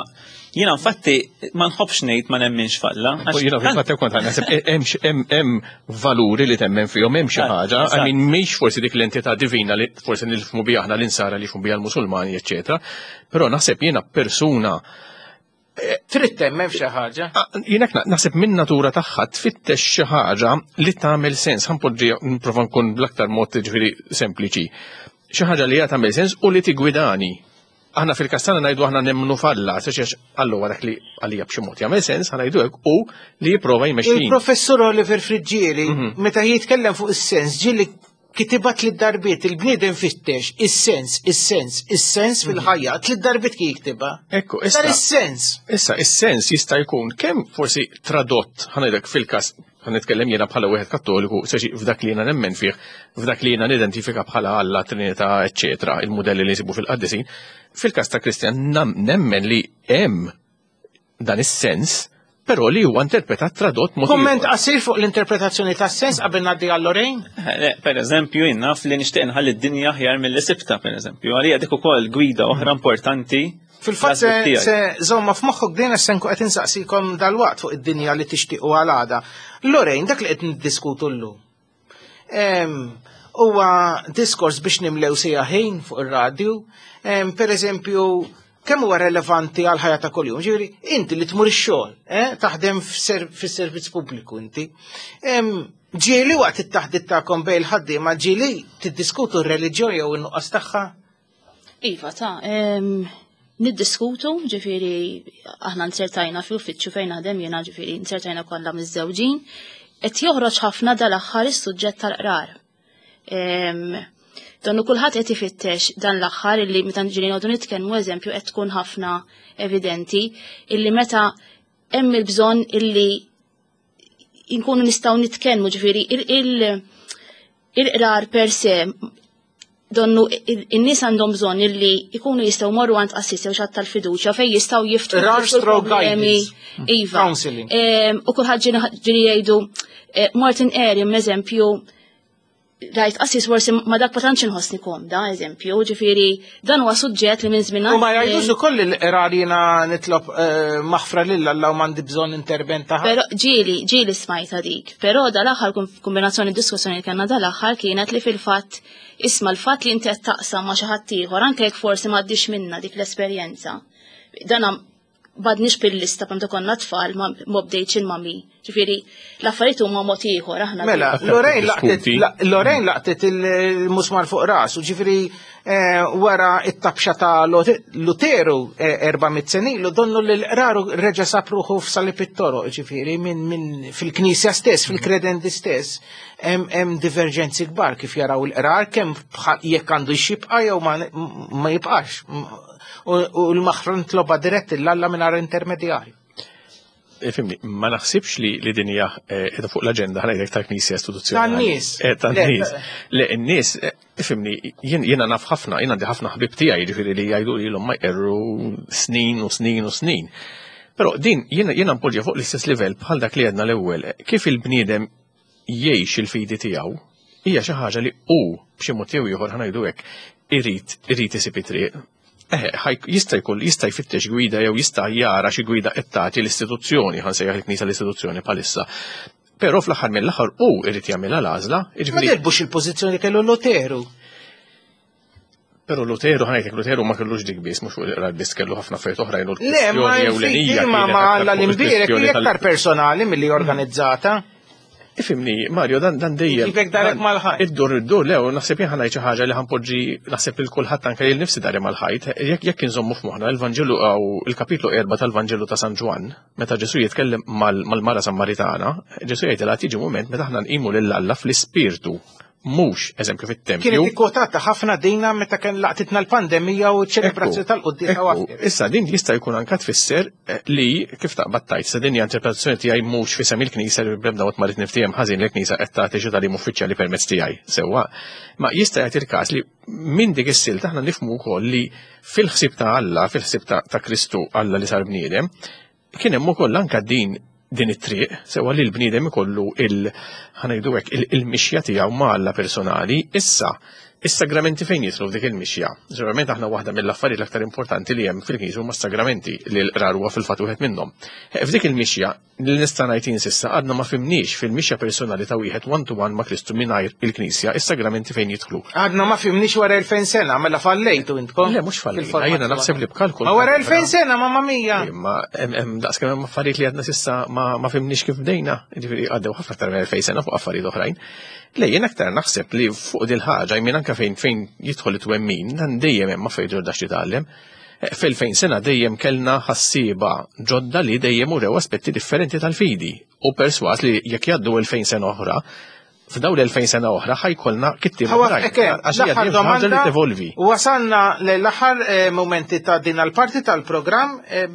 jiena infatti ma nħobbx ngħid ma nemminx falla. Jiena fil-fatt kont naħseb hemm valuri li temmen fihom hemm xi ħaġa, I mean mhix forsi dik l-entità divina li forsi nilfmu biha aħna l-insara li jifhmu biha l-Musulmani, eċċetera. Però naħseb jiena persuna eh, Trid temmen f'xi ħaġa? Ah, jiena naħseb minn natura tagħha tfittex xi ħaġa li tagħmel sens, ħanpoġġi nprova nkun bl-aktar mod ġifieri sempliċi. Xi ħaġa li hija tagħmel sens u li tigwidani. Aħna fil-kastana ngħidu aħna nemmnu f'Alla, għax Alla huwa dak li għalija b'xi mod jagħmel sens, ħa ngħidu hekk, u li jipprova jmexxini. Il-Professur Oliver Friggieri, mhm. meta jitkellem fuq is-sens, ġieli kitibat li darbiet il-bniedem fittex is-sens, is-sens, is-sens mhm. fil-ħajja, tliet darbiet kien jiktiba. Ekku, issa. is-sens. Issa, is-sens jista' jkun kemm forsi tradott, ħa fil-każ Ħa nitkellem jiena bħala wieħed Kattoliku, seċi f'dak li jiena nemmen fih, f'dak li jiena nidentifika bħala Alla, Trinità, eċċetera, il-mudelli li nsibu fil-qaddisin. Fil-każ ta' Kristjan nemmen li hemm dan is-sens, però li huwa interpretat tradott mod. Komment qasir fuq l-interpretazzjoni tas-sens qabel ngħaddi għal Lorraine? Eh, per eżempju, jien naf li nixtieq nħalli d-dinja aħjar mill-li sibta, per eżempju. Għalija dik ukoll gwida oħra importanti. Fil-fatt se żomma f'moħħok din se nkun qed insaqsikom dalwaqt fuq id-dinja li tixtiequ għal għada. Lorraine, dak li qed niddiskutu llum. Huwa diskors biex nimlew sija ħin fuq ir-radju. Per eżempju, kemm huwa relevanti għal ħajja ta' kuljum? Ġifieri, inti li tmur ix-xogħol, eh, taħdem fis-servizz pubbliku inti. Ġieli waqt it-taħdit tagħkom bejn il-ħaddiema ġieli tiddiskutu r-reliġjon jew in-nuqqas tagħha? Iva, ta' niddiskutu, ġifiri, aħna nsertajna fl-uffiċċju fejn naħdem jiena, ġifiri, nsertajna kollha miż-żewġin, qed joħroġ ħafna dal-aħħar is-suġġett tal-qrar. Donnu kulħadd qed ifittex dan l-aħħar illi meta ġieli noqogħdu nitkellmu eżempju qed tkun ħafna evidenti illi meta hemm il-bżonn illi inkunu nistgħu nitkellmu ġifieri il-qrar per se donnu in-nies għandhom bżonn illi jkunu jistgħu morru għand qassis jew xatt tal-fiduċja fejn jistgħu jiftħu Rar stroke guidance. Iva. Counseling. U kulħadd ġieli jgħidu eh, Martin Erim eżempju rajt qassis forsi ma dak ma tantx inħossni komda, eżempju, ġifieri dan huwa suġġett li minn żmien U ma jgħidux ukoll il-qrar jiena nitlob eh, maħfra lil Alla u m'għandi bżonn intervent ta' Però ġieli, ġieli smajta dik. Però dal-aħħar kombinazzjoni diskussjoni li kellna dal-aħħar kienet li fil-fatt isma' l-fatt li inti qed taqsam ma' xi ħadd ieħor anke jekk forsi m'għaddix minna dik l-esperjenza. Dan badniex bil-lista meta konna tfal ma bdejtx il-mami. Ġifieri l-affarijiet huma mod ieħor aħna. Mela, Lorraine laqtet Lorraine laqtet il-musmar fuq rasu, ġifieri eh, wara it-tabxa ta' Luteru 400 eh, sena ilu donnu li l-qraru reġa' sab ruħu f'salib it-toroq, ġifieri minn fil-knisja stess, fil-kredenti stess, hemm diverġenzi kbar kif jaraw il-qrar kemm jekk għandu xibqa jew ma jibqax. U l-maħfra nitloba dirett l-Alla mingħajr intermedjarju. Eh, fimni, ma naħsibx li li din hija eh, qiegħda fuq l-aġenda ħana jgħidlek tal-Knisja istituzzjonali. Tan-nies. Eh, tan-nies. Le, n-nies, fimni, jiena naf ħafna, jien għandi ħafna ħbib tiegħi jiġifieri li jgħidu li l ma jqerru snin u snin u snin. Però din jiena npoġġi fuq l-istess livell bħal dak li għedna l-ewwel, kif il-bniedem jgħix il-fidi tiegħu hija xi ħaġa li hu b'xi mod jew ieħor ħanajdu hekk irid irid isib it-triq. Eħe, jista' jkun jista' jfittex gwida jew jista' jara xi gwida qed tagħti l-istituzzjoni, ħansejjaħ il-Knisja l-istituzzjoni bħalissa. Però fl-aħħar mill-aħħar hu irid jagħmilha l-għażla, jiġifieri. Ma dirbux il-pożizzjoni li kellu Luteru. Pero Luteru, ħajtek, Luteru ma kellux dik biss, mhux fuq il-qrar biss kellu ħafna affarijiet oħrajn u Le, ma ewlenija. Ma ma Alla l-imbierek hija aktar personali milli organizzata. Ifimni, Mario, dan dan dejjem. Ġibek darek mal-ħajt. Iddur, iddur, le, naħseb jien ħanajt xi ħaġa li ħanpoġġi naħseb lil kulħadd anke lil nifsi dari mal-ħajt. Jekk jekk inżommu f'moħħna l-Vanġelu għaw il-kapitlu 4 tal-Vanġelu ta' San Ġwann, meta Ġesu jitkellem mal-mara Sammaritana, Ġesu jgħidilha tiġi mument meta aħna nqimu lil Alla fl-ispirtu mhux eżempju fit-tempju. Kienet ikkwotata ħafna dina meta kien laqtitna l-pandemija u ċ-ċelebrazzjoni tal-quddiesa u Issa din jista' jkun anka tfisser eh, li kif taqbad tajt sa din hija interpretazzjoni tiegħi mhux fisem il-Knisja li b'ebda mod ma rrid niftiehem ħażin li l-Knisja qed tagħti xi tagħlim uffiċjali permezz tiegħi sewwa. Ma jista' jagħti il-każ li minn dik is-silta aħna nifhmu wkoll li fil-ħsieb ta' Alla, fil-ħsieb ta' Kristu Alla li sar bniedem, Kien hemm ukoll anke din din it-triq, sewa li l-bniedem ikollu il ħanajdu hekk il-mixja tiegħu ma' Alla personali, issa is-sagramenti fejn jidħlu f'dik il-mixja. Ġeneralment aħna waħda mill-affarijiet l-aktar importanti li hemm fil-Knisja huma s-sagramenti li l-qrar huwa fil-fatt wieħed minnhom. Eh, f'dik il-mixja li nista' ngħid jien s'issa għadna ma fimniex fil-mixja personali ta' wieħed one to one ma' Kristu mingħajr il-Knisja, is-sagramenti fejn jidħlu. Għadna ma fimniex wara 2000 sena, mela fallejtu intkom. Le, mhux fallejna, jiena naħseb li b'kalkol. Ma wara 2000 sena, mamma mia. Imma hemm daqskemm hemm affarijiet li għadna sissa ma fimniex kif bdejna, jiġifieri għaddew ħafna aktar minn 2000 sena fuq affarijiet oħrajn. Le, jien aktar naħseb li fuq dil ħaġa jmien anke fejn fejn jidħol it-twemmin, dan dejjem hemm affarijiet ġodda x'titgħallem. Eh, fil-fejn sena dejjem kellna ħassieba ġodda li dejjem urew aspetti differenti tal-fidi u perswas li jekk jgħaddu 2000 sena oħra, f'dawn l-2000 sena oħra ħajkolna kittieb oħrajn. Għax hija ħaġa li tevolvi. Wasalna l-aħħar eh, momenti ta' din l-parti tal-programm. Eh,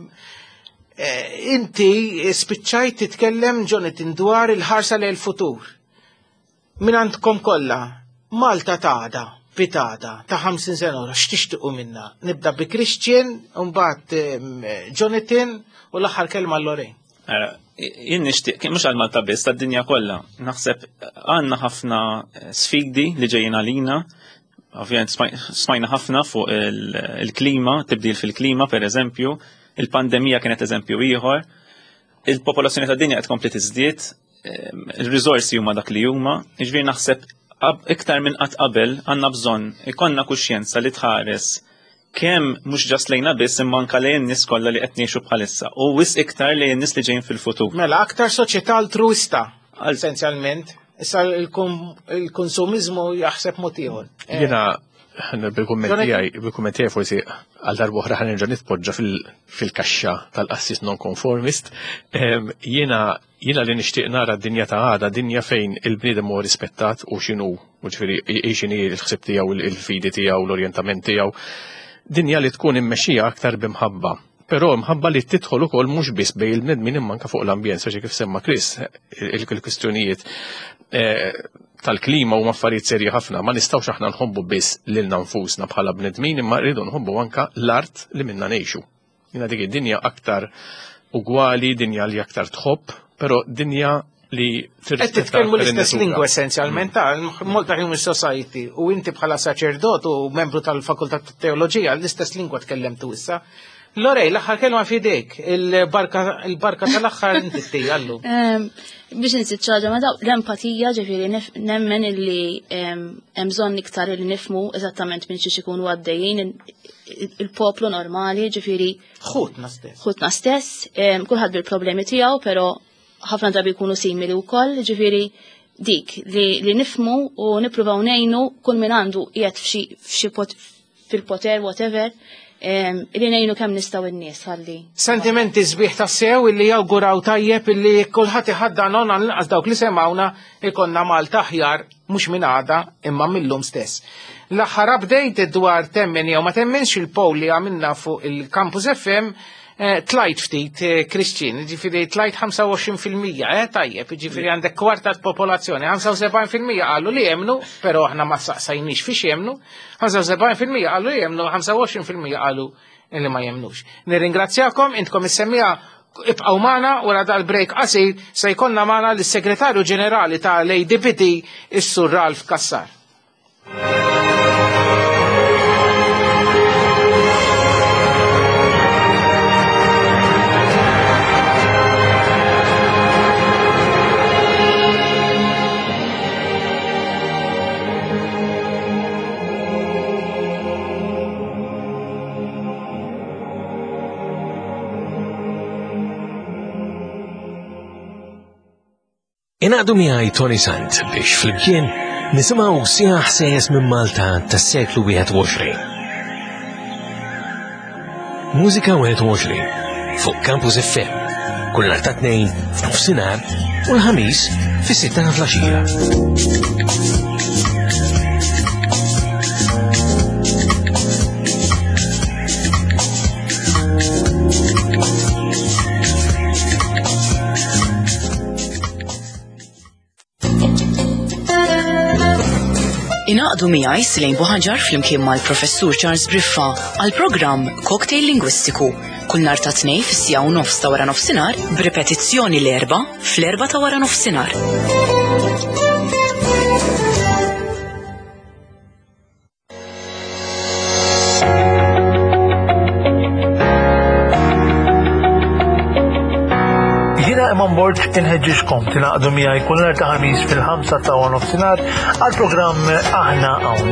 eh, inti spiċċajt titkellem Jonathan dwar il-ħarsa lejn il-futur. Min għandkom kollha, Malta ta' pitada ta' 50 sena oħra, x'tixtiequ minna? Nibda bi Christian, mbagħad Jonathan u l-aħħar kelma Lorraine. Jien nixtieq, mhux għal Malta biss, tad-dinja kollha. Naħseb għandna ħafna eh, sfidi li ġejjin għalina. Ovvjament smajna ħafna fuq il-klima, tibdil fil-klima per eżempju, il-pandemija kienet eżempju ieħor, il-popolazzjoni tad-dinja qed tkompli tiżdied, il-riżorsi huma dak li huma, jiġifieri naħseb iktar minn qatt qabel għandna bżonn ikollna kuxjenza li tħares kemm mhux ġast lejna biss imma anke lejn nies kollha li qed ngħixu bħalissa u wisq iktar lejn nies li ġejjin fil-futur. Mela aktar soċjetà altruista essenzjalment. Issa il-konsumiżmu jaħseb mod ieħor. Eh. Jiena bil-kumment tiegħi, bil-kumment tiegħi forsi għal darba oħra ħanerġa' nitpoġġa fil-kaxxa tal-qassis non-conformist. Jiena jiena li nixtieq nara d-dinja ta' għada, dinja fejn il-bniedem huwa rispettat u x'inhu, u ġifieri x'inhi l-ħsieb tiegħu, il-fidi tiegħu, l-orjentament tiegħu. Dinja li tkun immexxija aktar b'imħabba. Però mħabba li tidħol ukoll mhux biss bejn il-bnedmin imma anke fuq l-ambjent, speċi kif semma Chris, il-kwistjonijiet eh, tal-klima huma affarijiet serji ħafna, ma nistgħux aħna nħobbu biss lilna nfusna bħala bnedmin imma rridu nħobbu anke l-art li minna ngħixu. Jiena dik id-dinja aktar ugwali, dinja li aktar tħobb, però dinja li Qed titkellmu l-istess lingwa essenzjalment ta' Malta Human Society u inti bħala saċerdot u membru tal-Fakultà tat-Teoloġija l-istess lingwa tkellemtu issa. Lorej, l-aħħar kelma f'idejk, il-barka tal-aħħar inti tija llum. Biex nsit ċaġa ma daw l-empatija ġifieri nemmen illi hemm bżonn iktar li nifmu eżattament minn xiex ikunu għaddejjin il-poplu normali ġifieri. Ħutna stess. Ħutna stess, kulħadd bil-problemi tiegħu, però ħafna drabi jkunu simili wkoll, ġifieri dik li, li nifmu u nippruvaw ngħinu kull min għandu qiegħed f'xi fil-poter whatever li ngħinu kemm nistgħu n-nies ħalli. Sentimenti sbieħ tassew illi jawguraw tajjeb illi kulħadd iħaddan on għall-inqas dawk li semgħuna ikonna Malta aħjar mhux minn għada imma millum stess. L-aħħar update dwar temmen jew ma temmenx il-poll li għamilna fuq il-Campus FM eh, tlajt ftit eh, Christian, ġifiri tlajt 25%, eh, tajjeb, ġifiri għandek kwarta popolazzjoni, 75% qalu li jemnu, pero aħna ma saqsajniex fiex jemnu, 75% qalu li jemnu, 25% qalu li ma jemnux. Nirringrazzjakom, intkom is-semmija ibqgħu magħna wara dal-break qasir se jkollna magħna lis-Segretarju Ġenerali tal-ADPD is-Sur Ralph Cassar. Ingħaqdu miegħi Tony Sant biex flimkien nisimgħu sieħ ħsejjes minn Malta tas-seklu 21. Mużika 21 fuq Campus FM kull nhar ta' tnejn f'nofsinhar u l-ħamis fis-sitta ta' flaxija. Ingħaqdu miegħi Silejn Buħaġar flimkien mal-Professur Charles Briffa għal programm Cocktail Lingwistiku kull nhar ta' tnej fis-sija u nofs ta' wara nofsinhar b'ripetizzjoni l-erba' fl-erba' ta' wara nofsinhar. Jiena Eman Borg inħeġġiġkom tingħaqdu miegħi kull nhar ta' ħamis fil-ħamsa ta' nofsinhar għal programm Aħna Hawn.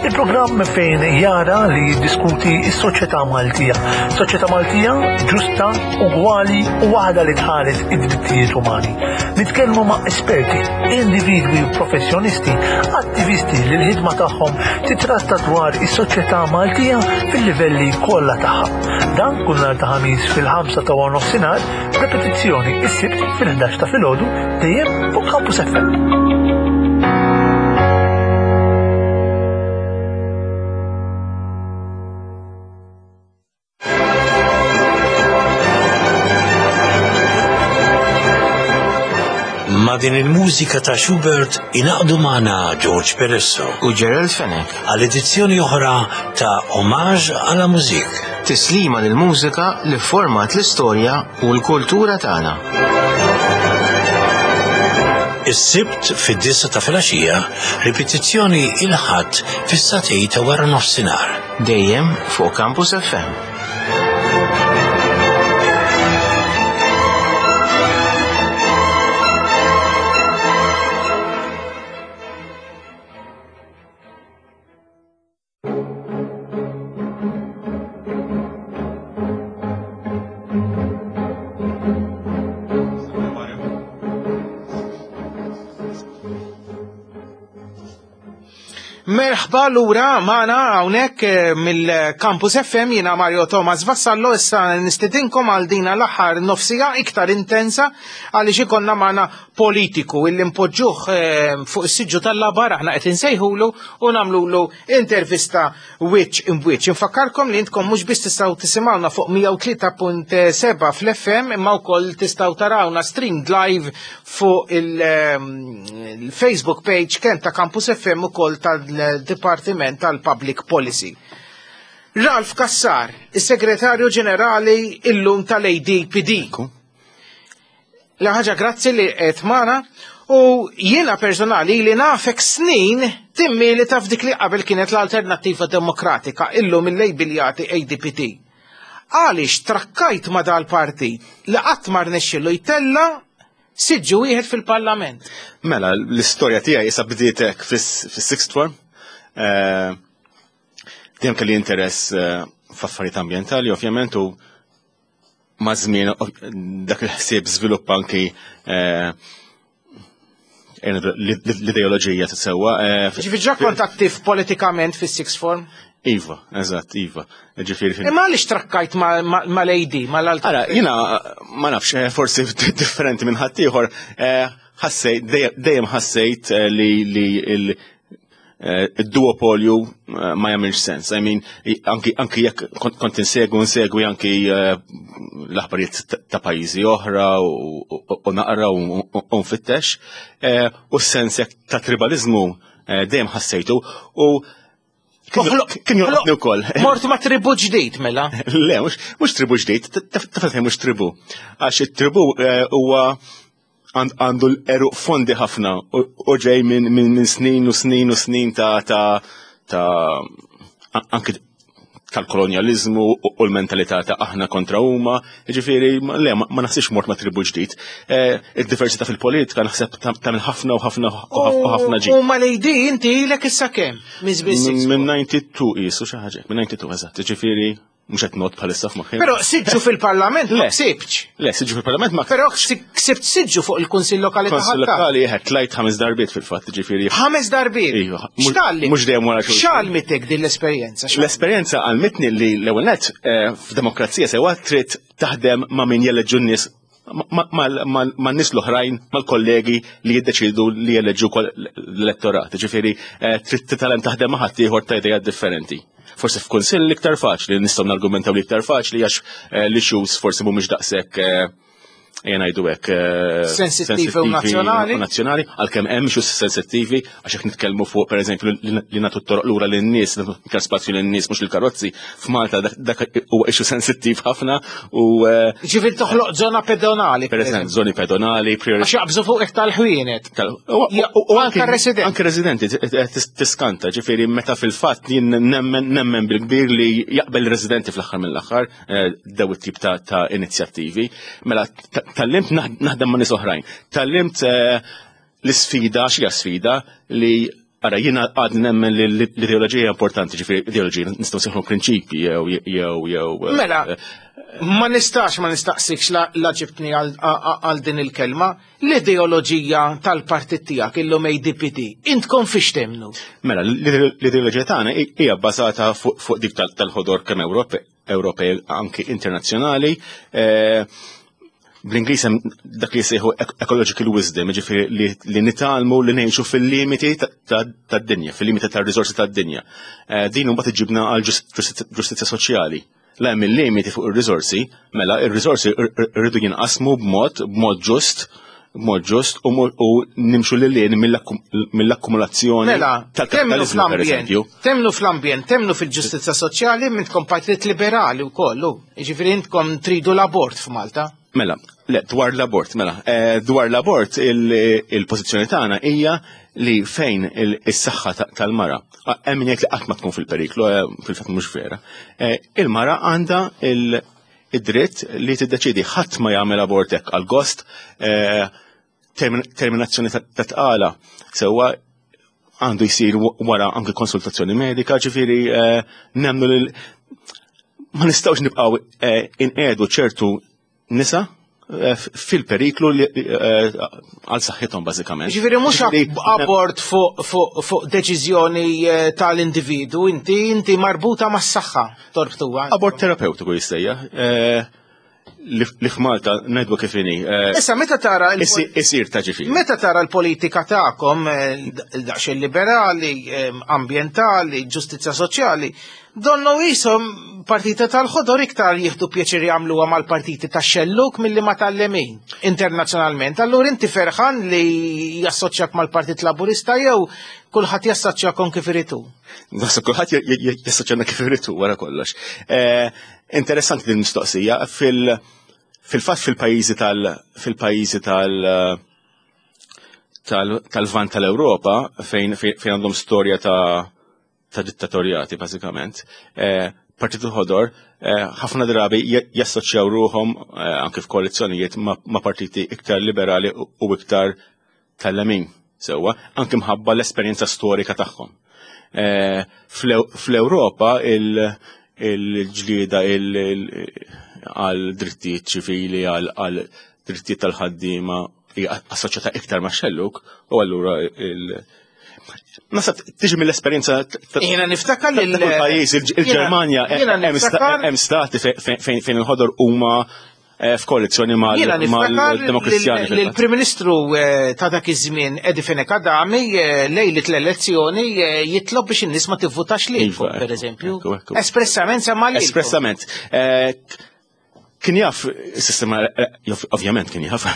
Il-programm fejn jara li jiddiskuti s-soċjetà Maltija. Soċjetà Maltija ġusta, ugwali u waħda li tħares id-drittijiet umani. Nitkellmu ma' esperti, individwi u professjonisti, attivisti li l-ħidma tagħhom titratta dwar is-soċjetà Maltija fil-livelli kollha tagħha. Dan kull nhar ta' ħamis fil-5 ta' nofsinhar, repetizzjoni is-Sibt fil-11 ta' filgħodu dejjem fuq Campus FM. Ma' din il-mużika ta' Schubert inaqdu magħna George Peresso u Gerald Fenech għal edizzjoni oħra ta' Homage à la Musique. Tislima lil mużika li format l-istorja u l-kultura tagħna. Is-Sibt fid-disgħa ta' filgħaxija, ripetizzjoni il-Ħadd fis-sagħtej ta' wara nofsinhar. Dejjem fuq Campus FM. Merħba lura magħna hawnhekk eh, mill-Campus FM jiena Mario Thomas Vassallo issa nistidinkom għal dina l-aħħar nofsija iktar intensa għaliex ikonna magħna politiku illi npoġġuh eh, fuq is-siġġu tal-labar aħna qed insejħulu u nagħmlulu intervista wiċċ imbwiċċ. Infakkarkom li intkom mhux biss tistgħu tisimgħuna fuq 103.7 fl-FM imma wkoll tistgħu tarawna streamed live fuq ehm, il-Facebook page kemm ta' Campus FM ukoll tal-Dipartiment tal-Public Policy. Ralf Kassar, is-Segretarju Ġenerali illum tal-ADPD. La ħaġa grazzi li qed magħna u jiena personali li nafek snin timmili taf dik li qabel kienet l-Alternattiva Demokratika illum il-lejbiljati ADPT. Għaliex trakkajt ma dal-partit li qatt ma rnexxielu jtella siġġu wieħed fil-Parlament. Mela, l-istorja tiegħi issa bdiet hekk fis-sixth form. Eh, dejjem kelli interess eh, f'affarijiet ambjentali, ovvjament, u ma' żmien dak il-ħsieb żviluppa anki eh, l-ideoloġija sewwa. Eh, Ġifieri ġa kont attiv politikament fis-sixth form? Iva, eżatt, iva. Ġifieri Imma għaliex trakkajt mal-AD, mal-alt? Ara, jiena ma nafx, eh, forsi differenti minn ħaddieħor, ħassejt, dejjem ħassejt li id-duopolju eh, ma jagħmilx sens. I mean, anki, anki jekk kont insegwu insegwi anki eh, l-aħbarijiet ta' pajjiżi oħra u naqra u nfittex, eh, u s-sens jekk ta' tribalizmu dejjem ħassejtu u kien joqgħodni wkoll. Mort ma' tribu ġdid mela? Le, mhux tribu ġdid, taf mhux tribu. Għax it-tribu huwa għandu l-eruq fondi ħafna u ġej minn snin u snin u snin ta' ta' ta' anki tal-kolonjalizmu u l-mentalità ta' aħna kontra huma, ġifieri le ma naħsibx mort ma' tribu ġdid. Eh, id-diversità fil-politika naħseb tagħmel ħafna u ħafna u ħafna ġid. U ma lejdi inti ilek issa kemm? Minn 92 qisu xi ħaġa, minn 92 eżatt, ġifieri mhux qed not bħalissa f'moħħi. Però siġġu fil-Parlament ma ksibx. Le, siġġu fil-Parlament ma Però ksibt siġġu fuq il-Kunsill Lokali ta' Kunsill Lokali jeħed tlajt ħames darbiet fil-fatt, ġifieri. Ħames darbiet. Iva. X'talli? Mhux dejjem wara xulxin. X'għalmitek din l-esperjenza? L-esperjenza għalmitni li l-ewwel nett eh, f'demokrazija sewa trid taħdem ma' min jeleġġu n-nies ma' nies l-oħrajn, mal-kollegi li jiddeċidu li jeleġġu l-elettorat. Ġifieri, eh, trid titgħallem taħdem ma' ħaddieħor ta' idejat differenti. Forsi f'kunsill l-iktar faċli, nistgħu nargumentaw l-iktar faċli għax eh, l-issues forsi mhumiex daqshekk eh, jena jgħidu hekk sensittivi u nazzjonali. Nazzjonali, għalkemm hemm xi sensittivi għax jekk nitkellmu fuq pereżempju li nagħtu t-toroq lura lin-nies, iktar spazju lin-nies mhux il-karozzi, f'Malta dak huwa issue sensittiv ħafna u eh, Ġifieri toħloq żona pedonali. Pereżempju, żoni pedonali, Għax jaqbżu fuq iktar ħwienet. U anke residenti. Anke residenti tiskanta, ġifieri meta fil-fatt jien nemmen nemmen bil-kbir li jaqbel residenti fl-aħħar mill-aħħar eh, daw it-tip ta' inizjattivi. Mela tallimt naħdem ma' nies oħrajn. Tallimt eh, l-isfida, xi sfida li Ara, jiena għad nemmen li l-ideoloġija importanti, ġifieri ideoloġija nistgħu seħħu prinċipji jew jew jew. Eh, mela, ma nistax ma nistaqsikx la ġibtni għal din il-kelma, l-ideoloġija tal-partit tiegħek illum ADPD, intkom fiex temnu? Mela, l-ideoloġija tagħna hija bbażata fuq dik tal-ħodor kemm Ewropej anki internazzjonali. Eh, bl-Ingliż hemm dak li jsejħu ecological wisdom, jiġifieri li nitgħallmu li ngħixu fil-limiti tad-dinja, fil-limiti tar-riżorsi tad-dinja. Eh, din imbagħad iġibna għal ġustizzja soċjali. La hemm il-limiti fuq ir-riżorsi, mela ir-riżorsi rridu jinqasmu b'mod b'mod ġust b'mod ġust u nimxu lil lien mill-akkumulazzjoni mela, tal-kapitalizmu per eżempju. Temnu fl-ambjent, temnu fil-ġustizza soċjali, mintkom partit liberali u kollu. Ġifieri intkom tridu l-abort f'Malta. Mela, Le, dwar l-abort, mela. Eh, dwar l-abort, il-pożizzjoni tagħna hija li fejn is-saħħa tal-mara, hemm min jgħid li qatt ma tkun fil-periklu, eh, fil-fatt mhux vera. Eh, il-mara għandha id-dritt li tiddeċidi ħadd ma jagħmel abort hekk għal gost, terminazzjoni ta' tqala sewwa għandu jsir wara anke konsultazzjoni medika, ġifieri nemnu li ma nistgħux nibqgħu inqedu ċertu nisa eh, fil-periklu eh, għal saħħithom bażikament. Ġifieri mhux abort fuq deċiżjoni eh, tal-individu, inti inti marbuta mas-saħħa torbtuha. Abort terapeutiku jissejja. Li f'Malta ngħidu kif inhi. Issa meta tara isir ta' ġifieri. Meta tara l-politika tagħkom daqsxejn liberali, ambjentali, ġustizzja soċjali, Donnu qishom partita tal-ħodor iktar jieħdu pjaċir jagħmluha mal-partiti tax-xellug milli ma tal-lemin internazzjonalment. Allura inti ferħan li jassoċjak mal-Partit Laburista jew kulħadd jassoċjakom kif iritu? Naħseb kulħadd jassoċjana kif iritu wara kollox. Eh, interessanti din mistoqsija fil- fil-fatt fil-pajjiżi tal fil-pajjiżi tal tal-vant tal-Ewropa fejn fejn għandhom storja ta' ta' dittatorjati bażikament. Eh, Partit il-Ħodor eh, ħafna drabi jassoċjaw ruhom eh, anke f'koalizzjonijiet ma' partiti iktar liberali u iktar tal-lemin sewwa, anke mħabba l-esperjenza storika tagħhom. Fl-Ewropa il-ġlieda għal drittijiet ċivili, għal drittijiet tal-ħaddiema hija assoċjata iktar ma' xelluk u allura il- Nasab tiġi mill-esperjenza Jiena niftakar li pajjiż il-Ġermanja hemm stati fejn il-ħodor huma eh, f'koalizzjoni mal-Demokristjani. Il-Prim Ministru eh, ta' dak iż-żmien Edi Fenech Adami eh, lejlit l-elezzjoni jitlob biex in-nies ma tivvutax lilkom, iva, pereżempju. Espressament semma lilkom. Espressament. Kien jaf is-sistema, ovvjament kien jaf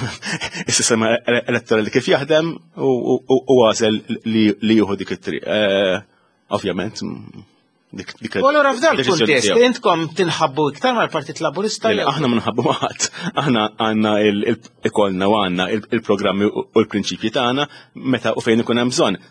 is-sistema elettorali kif jaħdem u għażel li jieħu dik it-triq. Eh, ovvjament, dik U allura f'dan il-kuntest intkom tinħabbu iktar mal-Partit Laburista? Aħna ma nħabbu ma ħadd. Aħna għandna ikollna u għandna il-programmi u l-prinċipji tagħna meta u fejn ikun hemm bżonn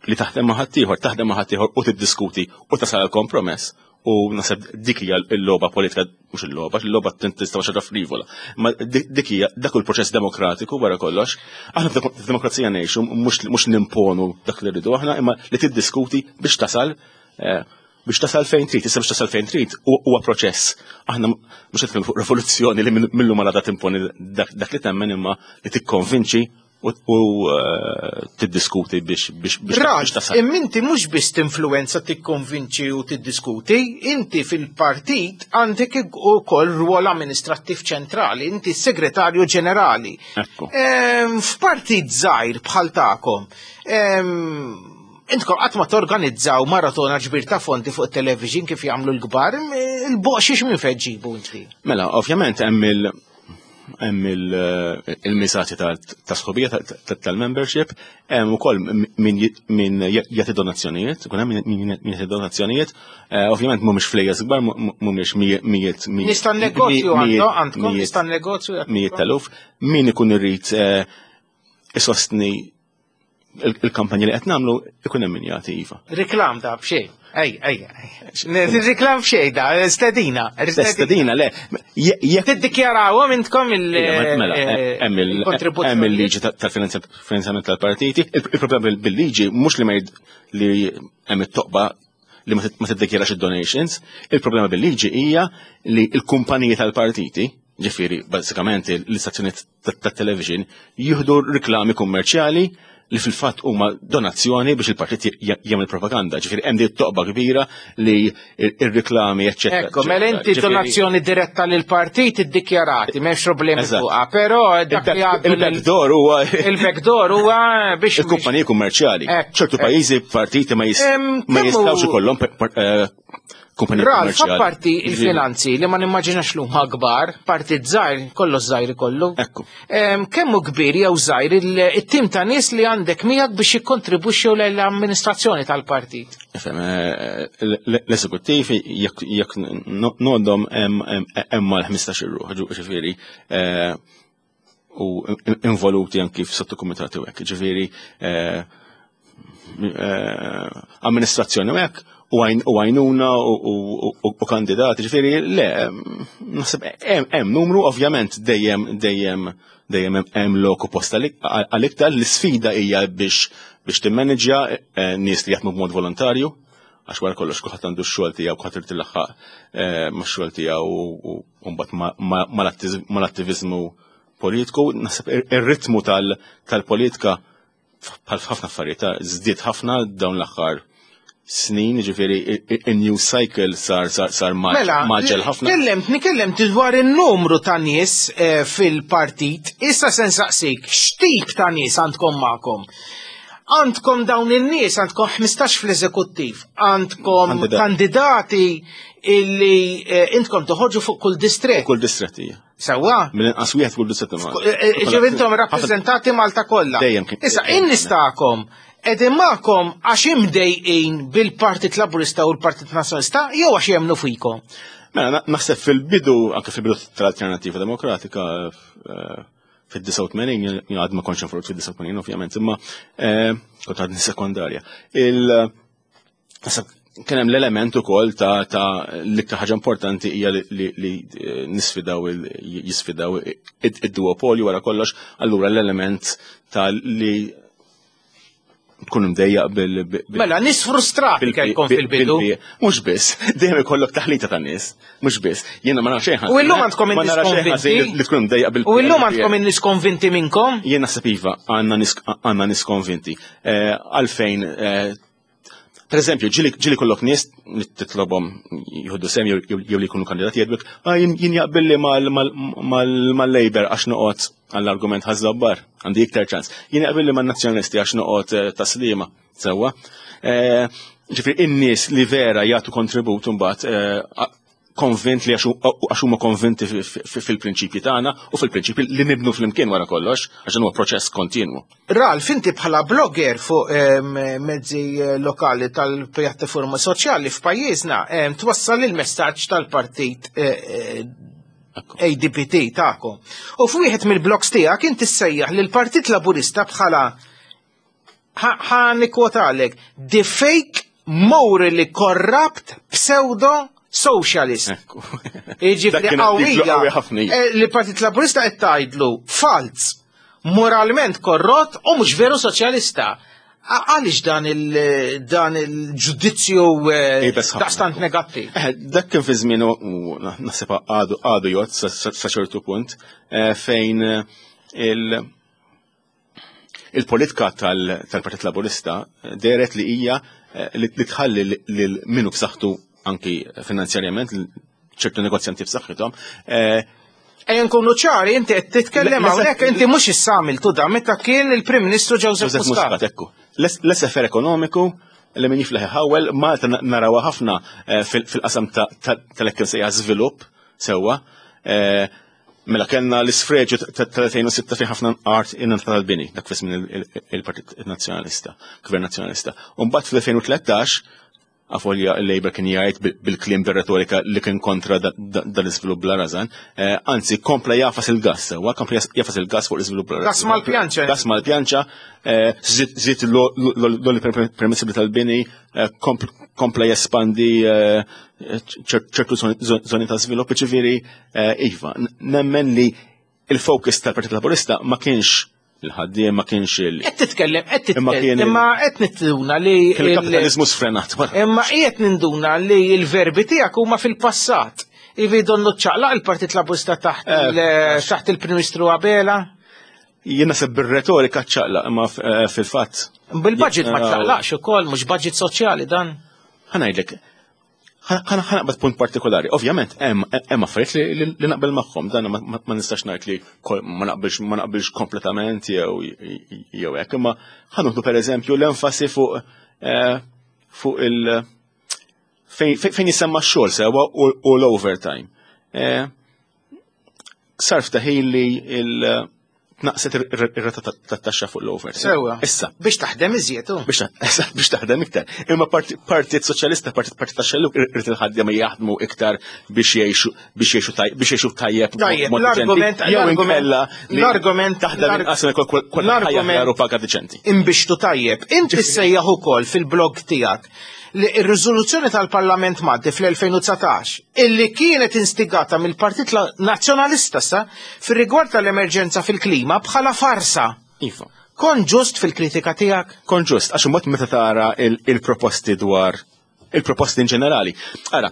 li taħdem ma' ħaddieħor, taħdem ma' ħaddieħor u tiddiskuti u tasal għal kompromess. U naħseb dik hija l-logħba politika, mhux il-logħba, il-logħba tista' xi frivola. Ma dik hija dak il-proċess demokratiku wara kollox. Aħna f'demokrazija ngħixu mhux nimponu dak li rridu aħna, imma li tiddiskuti biex tasal eh, biex tasal fejn trid, issa biex tasal fejn trid huwa proċess. Aħna mhux qed fuq rivoluzzjoni li millu ma timponi dak li temmen imma li tikkonvinċi u eh, tiddiskuti biex biex biex Ralf, tasal. Imma mhux biss tinfluwenza tikkonvinċi u tiddiskuti, inti fil-partit għandek ukoll rwol amministrattiv ċentrali, inti segretarju ġenerali. Ehm, f'partit żgħir bħal tagħkom, ehm, intkom qatt ma torganizzaw maratona ġbir ta' fondi fuq television kif jagħmlu l-kbar, il-boqxiex minn fejn ġibu inti. Mela, ovvjament hemm il- hemm eh, il-miżati ta' sħobija tal-membership, hemm ukoll min jagħti donazzjonijiet, ikun hemm min jagħti donazzjonijiet, eh, ovvjament mhumiex flejjes kbar, mhumiex mijiet Nista' negozju għandkom, nista' negozju mijiet teluf, min ikun irrid eh, isostni il-kampanja li qed nagħmlu ikun hemm min jagħti iva. Reklam da b'xejn. Ej, ej, ej. Reklam b'xejn da, stedina. Stedina, le. Tiddikjarawhom intkom il- Mela, eh, hemm il-liġi tal-finanzjament tal-partiti. Il-problema bil-liġi mhux li ma li hemm it-toqba li ma tiddikjarax id-donations. Il-problema bil-liġi hija li l-kumpaniji tal-partiti, ġifieri bażikament l-istazzjoni tat-television jieħdu riklami kummerċjali li fil-fatt huma donazzjoni biex il-partit jagħmel propaganda. Ġifieri hemm din toqba kbira li ir-riklami eċċetera. Ekku, mela inti donazzjoni diretta lil partit iddikjarati, m'hemmx problemi fuqha, però dak li għadu il-backdoor huwa il-backdoor huwa biex il-kumpaniji kummerċjali. Ċertu pajjiżi partiti ma jistgħux ikollhom eh, kumpanija Ralf, apparti il-finanzi li ma nimmaġinax l huma kbar, parti żgħir, kollox żgħir ikollu. Ekku. Kemm hu kbir jew żgħir it-tim ta' nies li għandek miegħek biex jikkontribwixxu l-amministrazzjoni tal-partit? Ifhem, eh, l-eżekuttiv jekk nodhom hemm mal-15 ruħ, ġifieri eh, u involuti anki f'sottokumitati u hekk. Ġifieri eh, eh, amministrazzjoni u hekk u għajnuna u kandidati, ġifieri le, naħseb hemm numru ovvjament dejjem dejjem dejjem hemm lok u post għal-iktar l-isfida hija biex biex timmanġja eh, nies li jaħdmu b'mod volontarju għax wara kollox kulħadd għandu x-xogħol tiegħu kulħadd irid ilaħħaq eh, max-xogħol tiegħu u mbagħad mal-attiviżmu politiku, naħseb ir-ritmu tal-politika bħal ħafna affarijiet żdied ħafna dawn l-aħħar snin, ġifieri il-new cycle sar sar sar mela, maġel ħafna. Kellemt, nikellemt dwar in-numru ta' nies eh, fil-partit, issa se nsaqsik, x'tip ta' nies għandkom magħkom? Għandkom dawn in-nies, għandkom 15 fl-eżekuttiv, għandkom kandidati illi eh, intkom toħorġu fuq kull distret. Kull distret hija. Sewwa? Mill-inqas wieħed kull distret. Eh, eh, ġifieri intom rappreżentati Malta kollha. Dejjem kien. Issa in-nies tagħkom qegħdin magħkom għax imdejqin bil-Partit Laburista u l-Partit Nazzjonalista jew għax jemmnu fikom? Mela, naħseb fil-bidu, anke fil-bidu tal-Alternativa Demokratika, fid-89, jien għad ma kontx involut fid-89 ovvjament, imma eh, kont għadni sekondarja. Il kien hemm l-element ukoll ta' ta' l-iktar ħaġa importanti hija li, li eh, nisfidaw jisfidaw id-duopolju wara kollox, allura l-element ta' li tkun imdejjaq bil. Mela, nis frustrati kellkom fil-bidu. Mhux biss, dejjem ikollok taħlita ta' nies, mhux biss. Jiena ma nafx xejn. U illum għandkom in-nies konvinti. Li tkun imdejjaq bil. U illum għandkom in-nies konvinti minnkom? Jien naħseb iva, għandna nies konvinti. Eh, għalfejn eh, Per eżempju, ġili kollok nies li titlobhom jieħdu sem jew li jkunu kandidati jgħidlek, ah, jien jaqbilli mal-Labor għax noqgħod għall-argument ħażabbar, għandi iktar ċans. Jien jaqbilli man-Nazzjonalisti għax noqgħod eh, taslima, sewwa. Eh, ġifieri in-nies li vera jagħtu kontribut imbagħad eh, konvint li għax huma konvinti fil-prinċipji tagħna u fil-prinċipji li nibnu flimkien wara kollox, għax huwa proċess kontinwu. Ralf, inti bħala blogger fuq mezzi eh, lokali tal-pjattaforma soċjali f'pajjiżna twassal il-messaġġ tal-partit eh, eh, ADPT tagħkom. U f'wieħed mill-blogs tiegħek inti ssejjaħ lill-Partit Laburista bħala ħa nikkwotalek, the fake morally corrupt pseudo socialist. Jiġifieri qawwija eh, li Partit Laburista qed tgħidlu falz, moralment korrott u mhux veru soċjalista. Għaliex dan il-dan il-ġudizzju eh, daqstant negattiv? Eh, dak kien fi żmien u naħseb għadu għadu jgħod sa ċertu punt fejn il- Il-politika tal-Partit Laburista dehret li hija eh, li tħalli lil minu b'saħħtu anki finanzjarjament ċertu negozjanti b'saħħithom. Eh, Ejja nkunu ċari, inti qed titkellem hawnhekk inti mhux issa għamiltu da meta kien il-Prim Ministru Joseph Muscat. Ekku. L-SFR ekonomiku li min jiflaħ iħawel, Malta narawha ħafna eh, fil-qasam tal-ekkim sejja żvilupp sewwa. Mela kellna l-isfreġju tal-2006 fejn ħafna art ingħata tal-bini, dak fi żmien il-Partit Nazzjonalista, Gvern Nazzjonalista. U mbagħad fl-2013 afolja il-Labour kien jgħid bil-kliem bir-retorika li kien kontra dal-iżvilupp bla rażan, eh, anzi kompla jafas il-gas, sewwa kompla jafas il-gas fuq l-iżvilupp bla rażan. Gas mal-pjanċa. Gas mal-pjanċa, eh, żied l-oli permissibli tal-bini, eh, kompla jespandi ċertu zoni ta' żvilupp, ġifieri eh, iva, nemmen li il-focus tal-Partit Laburista ma kienx il-ħaddiem ma kienx il. Qed titkellem, qed titkellem, imma qed ninduna li. Il-kapitalizmu sfrenat. Imma qiegħed ninduna li l-verbi tiegħek huma fil-passat. Ivi donnu ċaqlaq il-Partit Laburista taħt eh, taħt il-Prim Ministru Abela. Jien naħseb bir-retorika ċaqlaq imma eh, fil-fatt. Bil-budget ma ċaqlaqx ukoll, mhux budget soċjali dan. Ħanajdlek, ħanaqbad punt partikolari. Ovvjament, hemm affarijiet li naqbel magħhom, dan ma nistax ngħid li ma naqbilx ma naqbilx kompletament jew jew hekk, imma ħanuħdu pereżempju l-enfasi fuq eh, fuq il fejn jisemma x-xogħol sewa u l-overtime. Eh, sar ftaħil li il- tnaqset ir-rata tat-taxxa fuq l-over. Sewwa. Issa. Biex taħdem iżjed. Biex taħdem iktar. Imma Partit Soċjalista, Partit Partit tax-Xellug irid il-ħaddiema jaħdmu iktar biex jgħixu biex jgħixu biex jgħixu tajjeb. Tajjeb, l-argument jew inkella l-argument taħdem inqas l-argument paga diċenti. Imbixtu tajjeb. Inti sejjaħ ukoll fil-blog tiegħek li r-riżoluzzjoni tal-Parlament Malti fl-2019 illi kienet instigata mill-Partit Nazzjonalista sa fir-rigward tal-emerġenza fil-klima bħala farsa. Iva. Kon ġust fil-kritika tiegħek? Kon ġust, għax imbagħad meta tara il-proposti dwar il-proposti in ġenerali. Ara,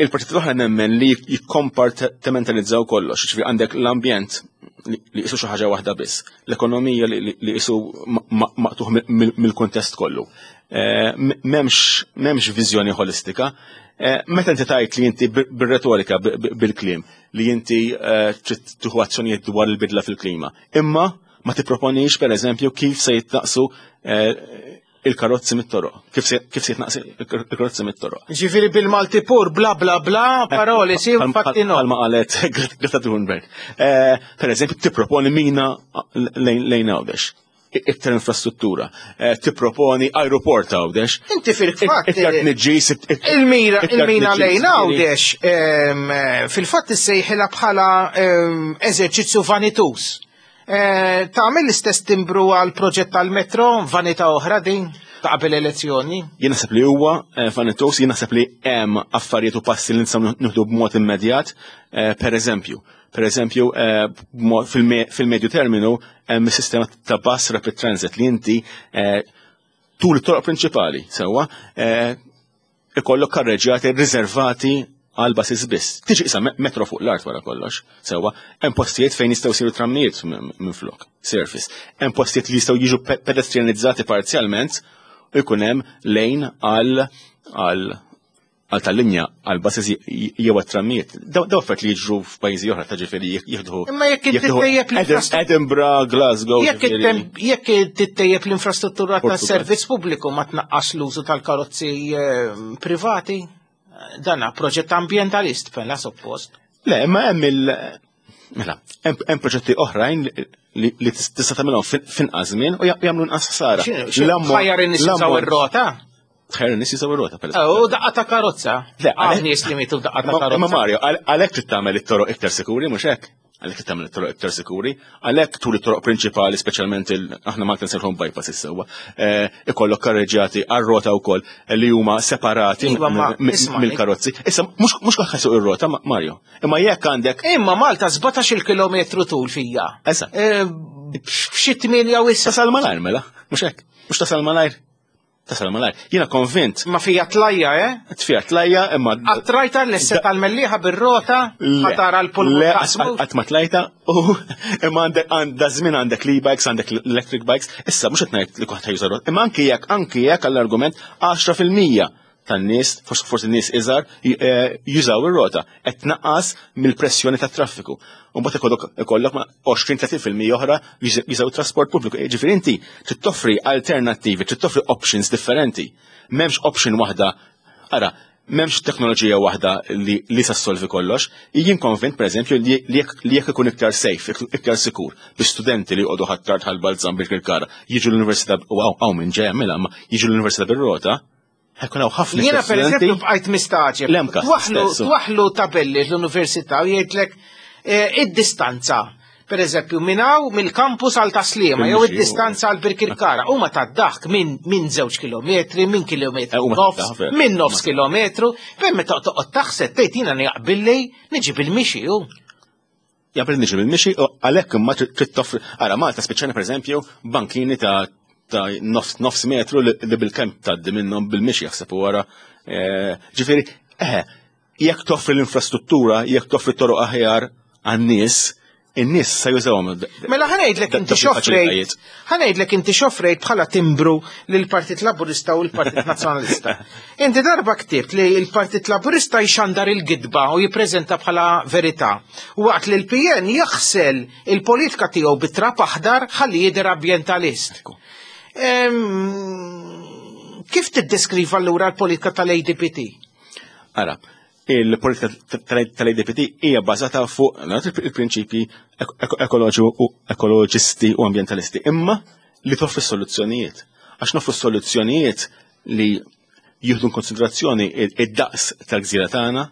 Il-partit l-oħra nemmen li jikkompartimentalizzaw kollox, ġifieri għandek l-ambjent li jisu xi ħaġa waħda biss, l-ekonomija li jisu maqtuħ mill-kuntest kollu. Eh, m'hemmx viżjoni ħolistika. Eh, meta inti tajt li inti bir-retorika, bil-kliem, li inti eh, trid tieħu azzjonijiet dwar il-bidla fil-klima, imma ma tipproponix pereżempju kif se jitnaqsu il-karozzi mit-toroq. Kif se kif se jitnaqsi il-karozzi mit-toroq. Ġifieri bil-Malti pur bla bla bla paroli si fatti no. Palma qalet Greta Thunberg. Eh, per eżempju, tipproponi mina lejn Għawdex iktar infrastruttura, eh, tipproponi aeroport Għawdex. Inti fil-fatt. Iktar tniġġis. Il-mira il-mina lejn Għawdex ehm, fil-fatt issejħilha bħala ehm, eżerċizzju vanitus. Eh, tagħmel l-istess timbru għal proġett tal-metro, vanità oħra din ta' qabel elezzjoni? Jien naħseb li huwa eh, vanitos, jien naħseb li hemm affarijiet u passi li nistgħu nieħdu b'mod immedjat, eh, per eżempju, per eżempju, fil-medju terminu hemm sistema ta' bus rapid transit li inti tul it-toroq prinċipali sewwa ikollok karreġjati riservati għal basis biss. Tiġi isa metro fuq l-art wara kollox, sewwa, hemm postijiet fejn jistgħu jsiru trammijiet minn flok, surface. Hemm postijiet li jistgħu jiġu pedestrianizzati parzjalment u jkun hemm lejn għal għal għal tal-linja għal basis jew għat-trammijiet. Daw affarijiet li jiġru f'pajjiżi oħra ta' ġifieri jieħdu. Imma jekk tittejjeb l-infrastruttura. Edinburgh, Glasgow. Jekk tittejjeb l-infrastruttura tas-servizz pubbliku ma tnaqqas l-użu tal-karozzi eh, privati, dana proġett ambientalist pella suppost. Le, imma hemm il- Mela, hemm proġetti oħrajn li tista' tagħmilhom finqas żmien u jagħmlu nqas ħsara. Ħajjar in-nies ir-rota? Tħajjar in-nies jużaw ir-rota per U daqqa ta' karozza. Le, għal nies li mietu daqqa ta' karozza. Ma Mario, għalhekk trid tagħmel it-toroq iktar sikuri, mhux hekk? Għalhekk trid tagħmel it-toroq iktar sikuri, għalhekk tul it-toroq prinċipali, speċjalment aħna Malta nsejħhom bypass is-sewwa, eh, ikollok karreġġjati għar-rota wkoll eh, li huma separati iva, mill-karozzi. Issa mhux kulħadd isuq ir-rota, Mario. Imma jekk għandek. Imma Malta 17 kilometru tul fija. Eżatt. Eh, f'xi tmienja u issa. Tasal malajr mela, mhux hekk. Mhux tasal malajr. Tasal malajr. Jiena konvint. Ma fija tlajja, eh? Tfija tlajja, imma. Għattrajta l-esse tal-mellieħa bir-rota, ħatara l-pulmun. Le, qatt ma tlajta, u imma għandek għandha żmien għandek l-e-bikes, għandek l-electric bikes, issa mhux qed ngħid li kulħadd juża rota, imma anki jekk anki jekk għall-argument 10% tan-nies, forsi nies iżgħar, eh, jużaw ir-rota, qed tnaqqas mill-pressjoni tat-traffiku. U mbagħad ikollok ikollok ma' 20-30% oħra jużaw trasport pubbliku. Eh, ġifieri inti trid toffri alternattivi, trid toffri options differenti. M'hemmx option waħda. Ara, m'hemmx teknoloġija waħda li, li sa solvi kollox. Jien konvint, per eżempju, li jekk ikun iktar safe, iktar sikur, biex studenti li jqogħdu ħattart ħal-balzan bil-kirkara jiġu l-università, u hawn minn ġej mela, ma jiġu l-università bir-rota, Ħekun hawn ħafna. Jiena pereżempju bqajt mistaġeb. Twaħlu tabelli l-università u jgħidlek eh, id-distanza. Per eżempju, minn hawn mill-kampus għal taslima jew id-distanza għal Birkirkara huma tad-daħk minn min żewġ kilometri, minn kilometru eh, nofs, minn nofs kilometru, per meta toqgħod taħseb tgħid jiena jaqbilli niġi bil-mixi hu. Jaqbel niġi bil-mixi u għalhekk imma trid toffri. Ara Malta spiċċajna pereżempju bankini ta' ta' nofs, nofs metru li, li bil-kemm tgħaddi minnhom bil-mixi jaħseb u wara. Eh, ġifieri, eħe, jekk toffri l-infrastruttura, jekk toffri toroq aħjar għan-nies, in-nies se jużawhom. Mela ħanejdlek inti xofrejt, ħanejdlek inti xofrejt bħala timbru lill-Partit Laburista u l-Partit Nazzjonalista. Inti darba ktibt li l-Partit Laburista jxandar il-gidba u jippreżenta bħala verità, waqt li l-PN jaħsel il-politika tiegħu bi trab aħdar ħalli jidher ambjentalist. Kif tiddeskriva allura l-politika tal-ADPT? Ara, Il-politika tal-ADPD hija bbażata fuq il-prinċipji ekoloġi u ekoloġisti u ambjentalisti, imma li toffri soluzzjonijiet. Għax noffru soluzzjonijiet li jieħdu konsiderazzjoni id-daqs tal-gżira tagħna.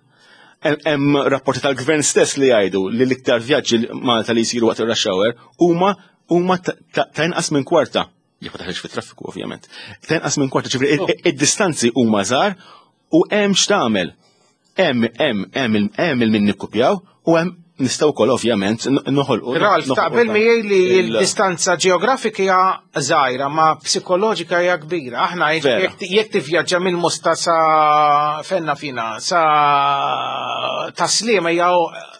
Hemm rapporti tal-gvern stess li jgħidu li l-iktar vjaġġi Malta li jsiru waqt ir-rush hour huma huma ta' inqas minn kwarta. Jekk ma taħriġ fit-traffiku ovvjament. Ta' inqas minn kwarta, ġifieri oh. id-distanzi huma żgħar u hemm x'tagħmel. Hemm hemm hemm hemm il-min nikkupjaw u hemm nistgħu wkoll ovvjament noħolqu. Ralf, taqbel miegħi li l-distanza ġeografika hija żgħira ma psikoloġika hija kbira. Aħna jekk tivvjaġġa minn Mosta sa fenna fina sa taslima hija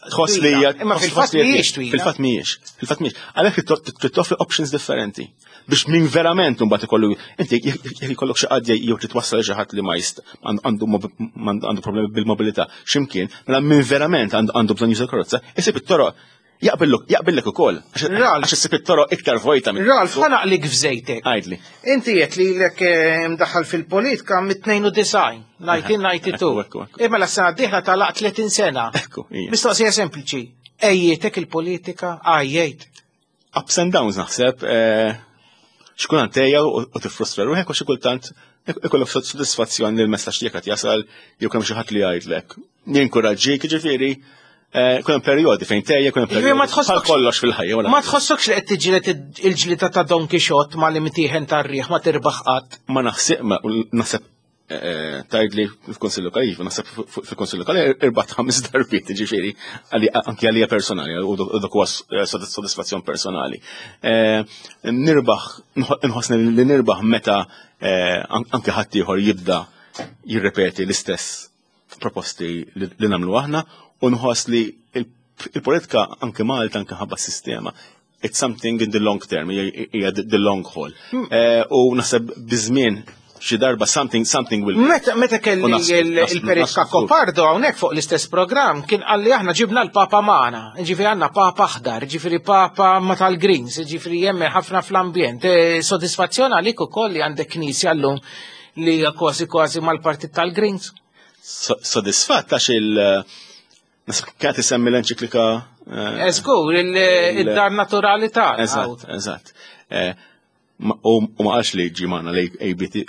tħoss li hija imma fil-fatt mhijiex twila. Fil-fatt mhijiex. Fil-fatt mhijiex. Għalhekk trid toffri options differenti biex min verament mbagħad ikollu inti jekk ikollok xi qadja jew titwassal xi ħadd li ma jist għandu għandu problemi bil-mobilità x'imkien, mela min verament għandu bżonn juża karozza, isib it-toroq jaqbilluk, jaqbillek ukoll. Għax issib it-toroq iktar vojta minn. Ralf, ħa naqlik f'żejtek. Għidli. Inti qed li lek eh, mdaħħal fil-politika mit-92, 1992. Imma la sena d-dieħla talaq 30 sena. Mistoqsija sempliċi. Ejjietek il-politika, għajjejt. Ups and downs naħseb, eh, xkultant tejja u tifrustra ruħek u xi kultant ikollok sodisfazzjon li l-messaġġ tiegħek qed jasal jew kemm xi ħadd li jgħidlek. Jinkoraġġik ġifieri eh, kun hemm perjodi fejn tejja, kun hemm perjodi. Ma tħossokx kollox fil-ħajja. Ma tħossokx li qed tiġilet il-ġlita ta' Don Quixote ma li mtieħen tar-riħ ma tirbaħ qatt. Ma naħseb ma naħseb Eh, tajd li fil-Konsil Lokali, iva, naħseb fil-Konsil Lokali irbat ħames darbiet, ġifieri, anki għalija personali, u dak huwa eh, sodisfazzjon personali. Eh, nirbaħ, nħossni li nirbaħ meta anki ħaddieħor jibda jirrepeti l-istess proposti li nagħmlu aħna u nħoss li il-politika anke Malta anke ħabba sistema it's something in the long term, hija the long haul. Eh, u naħseb biżmien xi darba something something will Meta meta kelli il-Perit Kakkopardo hawnhekk fuq l-istess programm kien qalli aħna ġibna l-Papa magħna, ġifieri għandna Papa aħdar, ġifieri Papa ma tal-Greens, ġifieri jemmen ħafna fl-ambjent. Eh, sodisfazzjon għalik ukoll li għandek knisja llum li hija kważi kważi mal-partit tal-Greens. Sodisfatt għax il- Nasib kienet isemmi l-enċiklika. Eh, Eżgur, il-dar naturali ta' Eżatt, eżatt. Eh, u ma qalx li ġi maħna li ABT.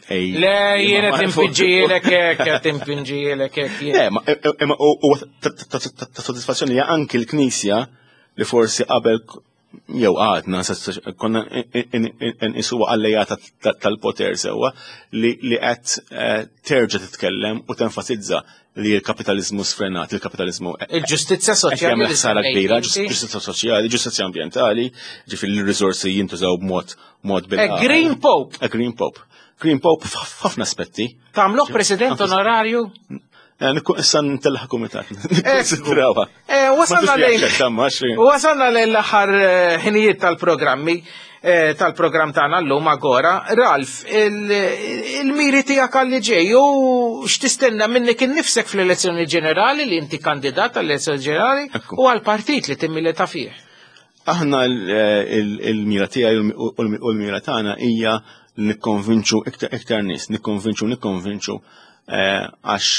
Le, jiena timpinġielek hekk, timpinġielek hekk. Le, imma u ta' sodisfazzjoni hija anki l-Knisja li forsi qabel jew għadna, konna nqisuha allejata tal-poter sewwa li qed eh, terġa' titkellem u tenfasizza li l-kapitalizmu sfrenat, il-kapitalizmu Il-ġustizzja soċjali. ħsara kbira, ġustizzja soċjali, ġustizzja ambjentali, ġifieri l-riżorsi jintużaw b'mod mod bil Green Pope. A Green Pope. Green Pope f'ħafna aspetti. Tagħmluh president onorarju? Eh, issa ntellaħ kumitat. Nikkonsidrawha. Eh, wasalna lejn. Wasalna lejn l-aħħar eh, ħinijiet tal-programmi tal-programm tagħna llum agora. Ralf, il-miri tiegħek għalli ġej u x'tistenna minnek innifsek fl-elezzjoni ġenerali li inti kandidat għall-elezzjoni ġenerali u għall-partit li timmilita fih. Aħna il-mira tiegħi u l-mira tagħna hija nikkonvinċu iktar nies, nikkonvinċu nikkonvinċu eh, għax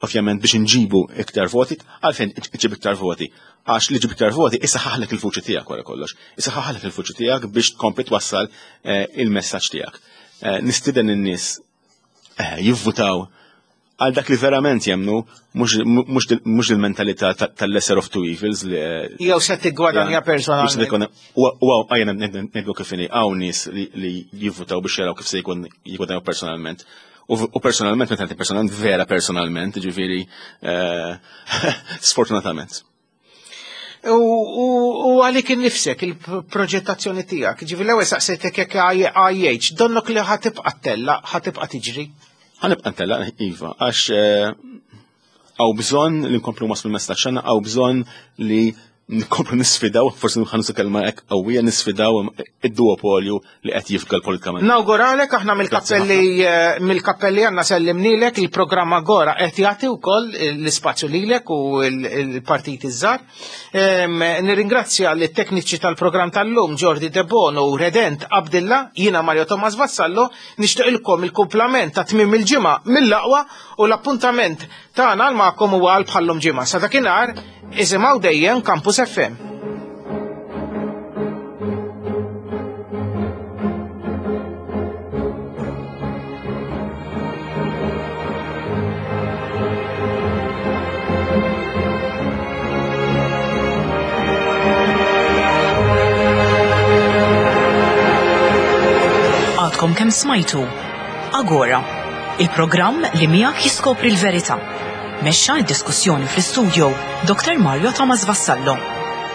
ovvjament biex nġibu iktar voti, għalfejn iġib iktar voti, għax li ġib iktar voti isaħħaħlek il-fuċi tiegħek wara kollox, isaħħaħlek il-fuċi tiegħek biex tkompli twassal eh, il-messaġġ tiegħek. Eh, nistieden in-nies jivvutaw għal dak li verament jemnu, mhux il-mentalità tal-lesser of two evils li. Eh, Jew se tiggwadanja personalment. U għajna ngħidu kif inhi hawn nies li jivvutaw biex jaraw kif se jkun jiggwadanjaw personalment. U personalment, meta personalment, vera personalment, ġifieri eh, sfortunatament. U għalik innifsek il-proġettazzjoni tiegħek, ġifieri l-ewwel saqsejtek jekk IH, donnok li ħatibqa' tella, ħatibqa' tiġri. Ħanibqa' ntella, iva, għax eh, għaw bżonn li nkomplu waslu l-messaġġ għandna, għaw bżonn li nkomplu nisfidaw, forsi nħansu kelma hekk qawwija nisfidaw id-duopolju li qed jifga politikament. Nawguralek aħna mill-kappelli eh, mill-kappelli għandna sellimnilek il-programm Agora qed jagħti wkoll l-ispazju lilek u l-partiti żgħar. Nirringrazzja lit-tekniċi tal-programm tal-lum Jordi Debono u Redent Abdilla, jiena Mario Thomas Vassallo, nixtieqilkom il-kumplament ta' tmiem il-ġimgħa mill-aqwa u l-appuntament tagħna għal magħkom huwa għal bħallum ġimgħa. Sa dakinhar Isimgħu dejjem Campus FM. Għadkom kemm smajtu Agora, il-programm li miegħek jiskopri l-verità. Mexxa d-diskussjoni fl-istudio Dr. Mario Thomas Vassallo.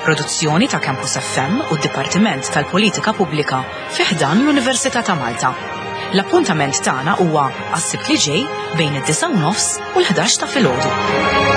Produzzjoni ta' Campus FM u d-Dipartiment tal-Politika Pubblika fi ħdan l-Università ta' Malta. L-appuntament tagħna huwa għas-Sibt li ġej bejn id-9 u nofs u l-11 ta' filgħodu.